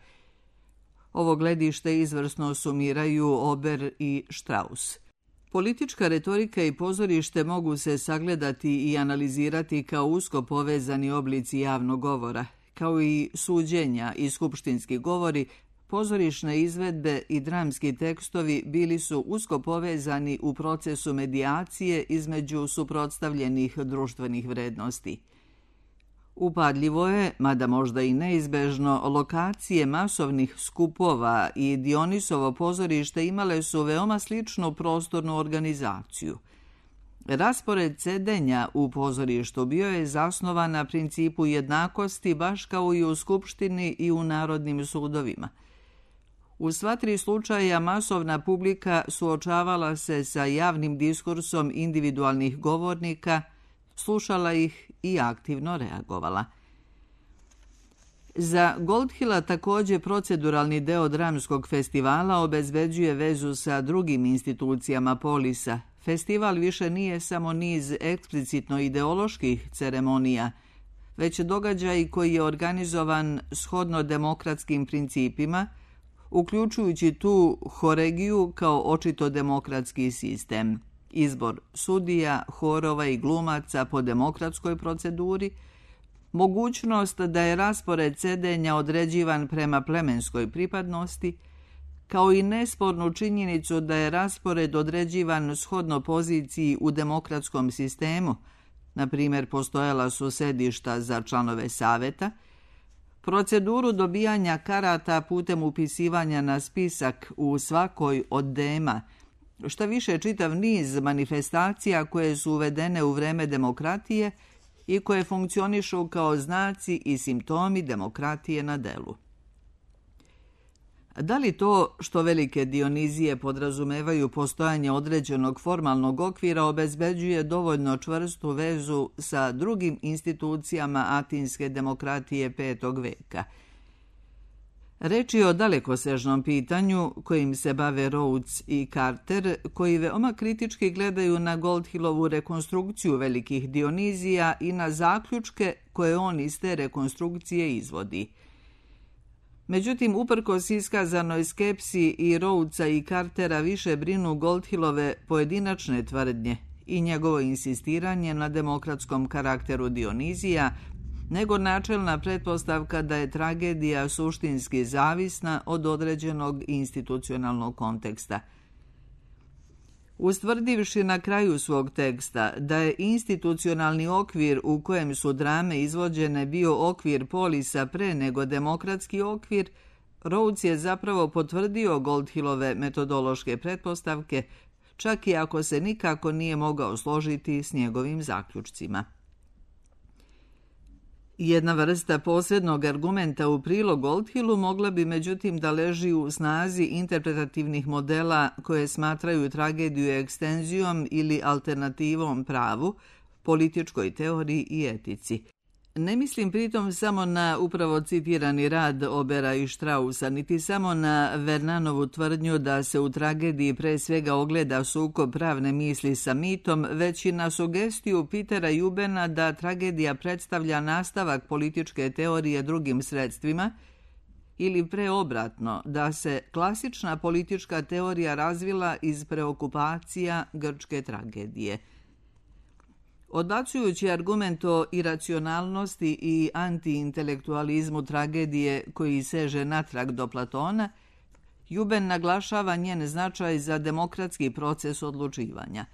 Speaker 1: Ovo gledište izvrsno sumiraju Ober i Strauss. Politička retorika i pozorište mogu se sagledati i analizirati kao usko povezani oblici javnog govora, kao i suđenja i skupštinski govori. Pozorišne izvedbe i dramski tekstovi bili su usko povezani u procesu medijacije između suprotstavljenih društvenih vrednosti. Upadljivo je, mada možda i neizbežno, lokacije masovnih skupova i Dionisovo pozorište imale su veoma sličnu prostornu organizaciju. Raspored sedenja u pozorištu bio je zasnovan na principu jednakosti baš kao i u skupštini i u narodnim sudovima. U sva 3 slučaja masovna publika suočavala se sa javnim diskursom individualnih govornika, slušala ih i aktivno reagovala. Za Goldhilla također proceduralni deo dramskog festivala obezbeđuje vezu sa drugim institucijama polisa. Festival više nije samo niz eksplicitno ideoloških ceremonija, već događaj koji je organizovan shodno demokratskim principima, uključujući tu horegiju kao očito demokratski sistem, izbor sudija, horova i glumaca po demokratskoj proceduri, mogućnost da je raspored sedenja određivan prema plemenskoj pripadnosti, kao i nespornu činjenicu da je raspored određivan shodno poziciji u demokratskom sistemu, na primjer postojala su sedišta za članove saveta, proceduru dobijanja karata putem upisivanja na spisak u svakoj od dema, šta više čitav niz manifestacija koje su uvedene u vreme demokratije i koje funkcionišu kao znaci i simptomi demokratije na delu. Da li to što velike Dionizije podrazumevaju postojanje određenog formalnog okvira obezbeđuje dovoljno čvrstu vezu sa drugim institucijama atinske demokratije 5. veka? Reč je o dalekosežnom pitanju kojim se bave Rhodes i Carter, koji veoma kritički gledaju na Goldhillovu rekonstrukciju velikih Dionizija i na zaključke koje on iz te rekonstrukcije izvodi. Međutim, uprkos iskazanoj skepsi i Rhodesa i Cartera više brinu Goldhillove pojedinačne tvrdnje i njegovo insistiranje na demokratskom karakteru Dionizija, nego načelna pretpostavka da je tragedija suštinski zavisna od određenog institucionalnog konteksta. Ustvrdivši na kraju svog teksta da je institucionalni okvir u kojem su drame izvođene bio okvir polisa pre nego demokratski okvir, Rhodes je zapravo potvrdio Goldhillove metodološke pretpostavke, čak i ako se nikako nije mogao složiti s njegovim zaključcima. Jedna vrsta posrednog argumenta u prilog Goldhillu mogla bi međutim da leži u snazi interpretativnih modela koje smatraju tragediju ekstenzijom ili alternativom pravu, političkoj teoriji i etici. Ne mislim pritom samo na upravo citirani rad Obera i Straussa, niti samo na Vernanovu tvrdnju da se u tragediji pre svega ogleda sukob pravne misli sa mitom, već i na sugestiju Petera Eubena da tragedija predstavlja nastavak političke teorije drugim sredstvima, ili preobratno, da se klasična politička teorija razvila iz preokupacija grčke tragedije. Odbacujući argument o iracionalnosti i antiintelektualizmu tragedije koji seže natrag do Platona, Euben naglašava njen značaj za demokratski proces odlučivanja.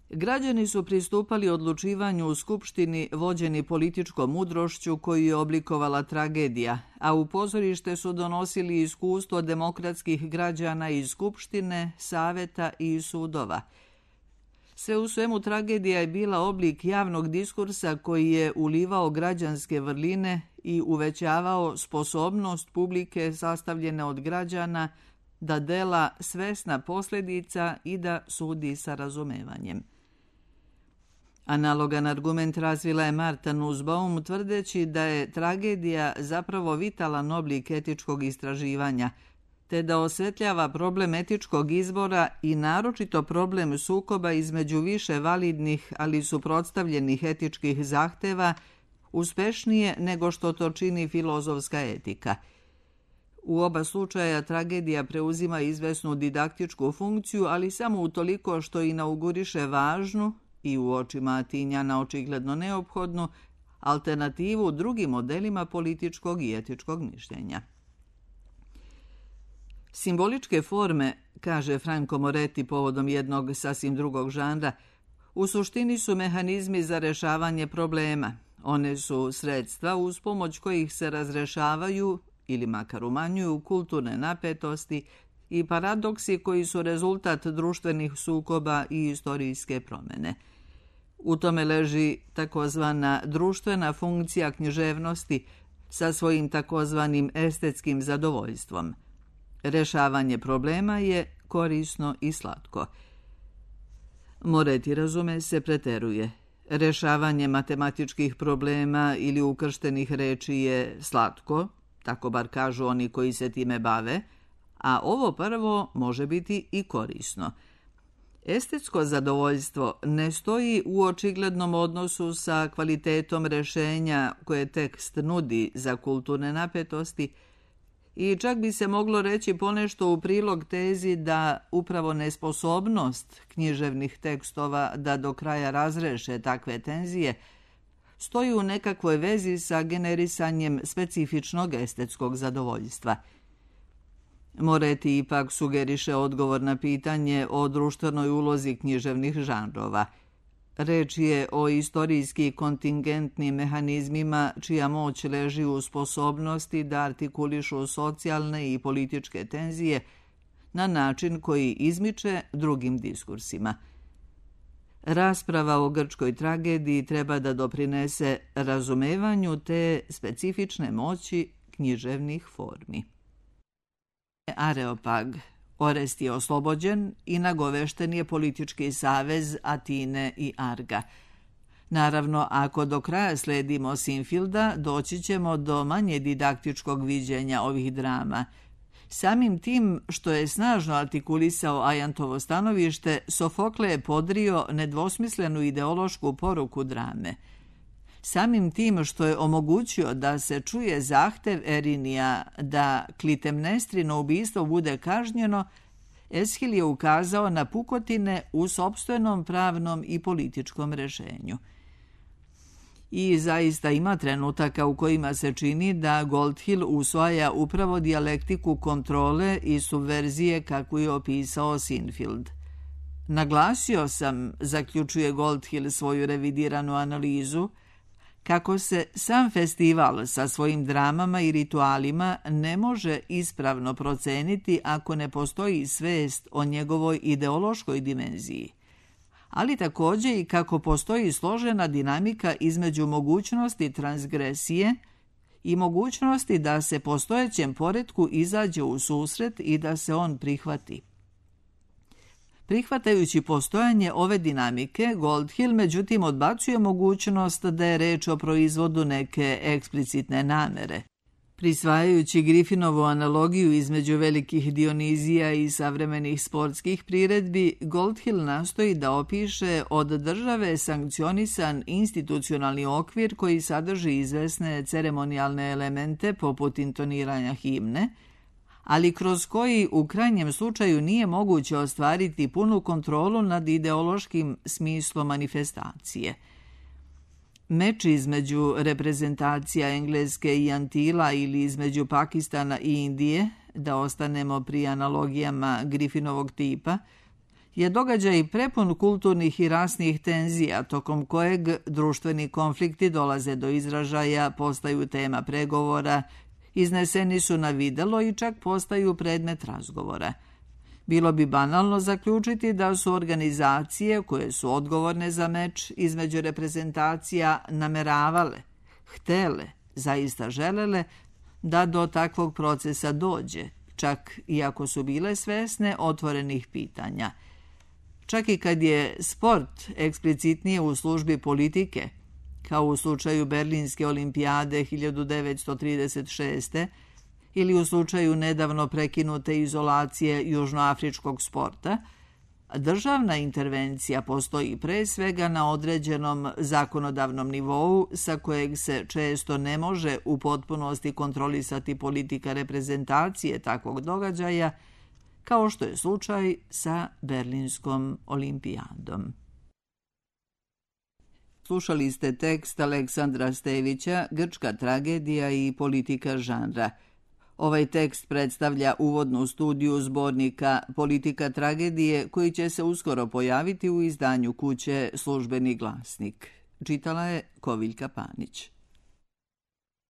Speaker 1: Građani su pristupali odlučivanju u skupštini vođeni političkom mudrošću koju je oblikovala tragedija, a u pozorište su donosili iskustvo demokratskih građana iz skupštine, saveta i sudova. Sve u svemu tragedija je bila oblik javnog diskursa koji je ulivao građanske vrline i uvećavao sposobnost publike sastavljene od građana da dela svesna posljedica i da sudi sa razumevanjem. Analogan argument razvila je Martha Nussbaum tvrdeći da je tragedija zapravo vitalan oblik etičkog istraživanja, te da osvetljava problem etičkog izbora i naročito problem sukoba između više validnih, ali suprotstavljenih etičkih zahteva, uspešnije nego što to čini filozofska etika. U oba slučaja tragedija preuzima izvesnu didaktičku funkciju, ali samo utoliko što inauguriše važnu i u očima Atinjana očigledno neophodnu alternativu drugim modelima političkog i etičkog mišljenja. Simboličke forme, kaže Franco Moretti povodom jednog sasvim drugog žanra, u suštini su mehanizmi za rešavanje problema. One su sredstva uz pomoć kojih se razrešavaju ili makar umanjuju kulturne napetosti i paradoksi koji su rezultat društvenih sukoba i istorijske promjene. U tome leži takozvana društvena funkcija književnosti sa svojim takozvanim estetskim zadovoljstvom. Rešavanje problema je korisno i slatko. Moretti, razume se, preteruje. Rešavanje matematičkih problema ili ukrštenih reči je slatko, tako bar kažu oni koji se time bave, a ovo prvo može biti i korisno. Estetsko zadovoljstvo ne stoji u očiglednom odnosu sa kvalitetom rešenja koje tekst nudi za kulturne napetosti i čak bi se moglo reći ponešto u prilog tezi da upravo nesposobnost književnih tekstova da do kraja razreše takve tenzije stoji u nekakvoj vezi sa generisanjem specifičnog estetskog zadovoljstva. Moretti ipak sugeriše odgovor na pitanje o društvenoj ulozi književnih žanrova. Reč je o istorijski kontingentnim mehanizmima čija moć leži u sposobnosti da artikulišu socijalne i političke tenzije na način koji izmiče drugim diskursima. Rasprava o grčkoj tragediji treba da doprinese razumevanju te specifične moći književnih formi. Areopag. Orest je oslobođen i nagovešten je politički savez Atine i Arga. Naravno, ako do kraja sledimo Sinfielda, doći ćemo do manje didaktičkog viđenja ovih drama. Samim tim što je snažno artikulisao Ajantovo stanovište, Sofokle je podrio nedvosmislenu ideološku poruku drame. Samim tim što je omogućio da se čuje zahtev Erinija da Klitemnestrino ubistvo bude kažnjeno, Eshil je ukazao na pukotine u sopstvenom pravnom i političkom rešenju. I zaista ima trenutaka u kojima se čini da Goldhill usvaja upravo dijalektiku kontrole i subverzije kako je opisao Sinfield. Naglasio sam, zaključuje Goldhill svoju revidiranu analizu, kako se sam festival sa svojim dramama i ritualima ne može ispravno proceniti ako ne postoji svest o njegovoj ideološkoj dimenziji, ali također i kako postoji složena dinamika između mogućnosti transgresije i mogućnosti da se postojećem poretku izađe u susret i da se on prihvati. Prihvatajući postojanje ove dinamike, Goldhill međutim odbacuje mogućnost da je reč o proizvodu neke eksplicitne namere. Prisvajajući Griffinovu analogiju između velikih Dionizija i savremenih sportskih priredbi, Goldhill nastoji da opiše od države sankcionisan institucionalni okvir koji sadrži izvesne ceremonijalne elemente poput intoniranja himne, ali kroz koji u krajnjem slučaju nije moguće ostvariti punu kontrolu nad ideološkim smislom manifestacije. Meč između reprezentacija Engleske i Antila ili između Pakistana i Indije, da ostanemo pri analogijama Griffinovog tipa, je događaj prepun kulturnih i rasnih tenzija, tokom kojeg društveni konflikti dolaze do izražaja, postaju tema pregovora, izneseni su na videlo i čak postaju predmet razgovora. Bilo bi banalno zaključiti da su organizacije koje su odgovorne za meč između reprezentacija nameravale, htele, zaista želele da do takvog procesa dođe, čak i ako su bile svesne otvorenih pitanja. Čak i kad je sport eksplicitnije u službi politike, kao u slučaju Berlinske olimpijade 1936. ili u slučaju nedavno prekinute izolacije južnoafričkog sporta, državna intervencija postoji pre svega na određenom zakonodavnom nivou sa kojeg se često ne može u potpunosti kontrolisati politika reprezentacije takvog događaja, kao što je slučaj sa Berlinskom olimpijadom. Slušali ste tekst Aleksandra Stevića, Grčka tragedija i politika žanra. Ovaj tekst predstavlja uvodnu studiju zbornika Politika tragedije koji će se uskoro pojaviti u izdanju kuće Službeni glasnik. Čitala je Koviljka Panić.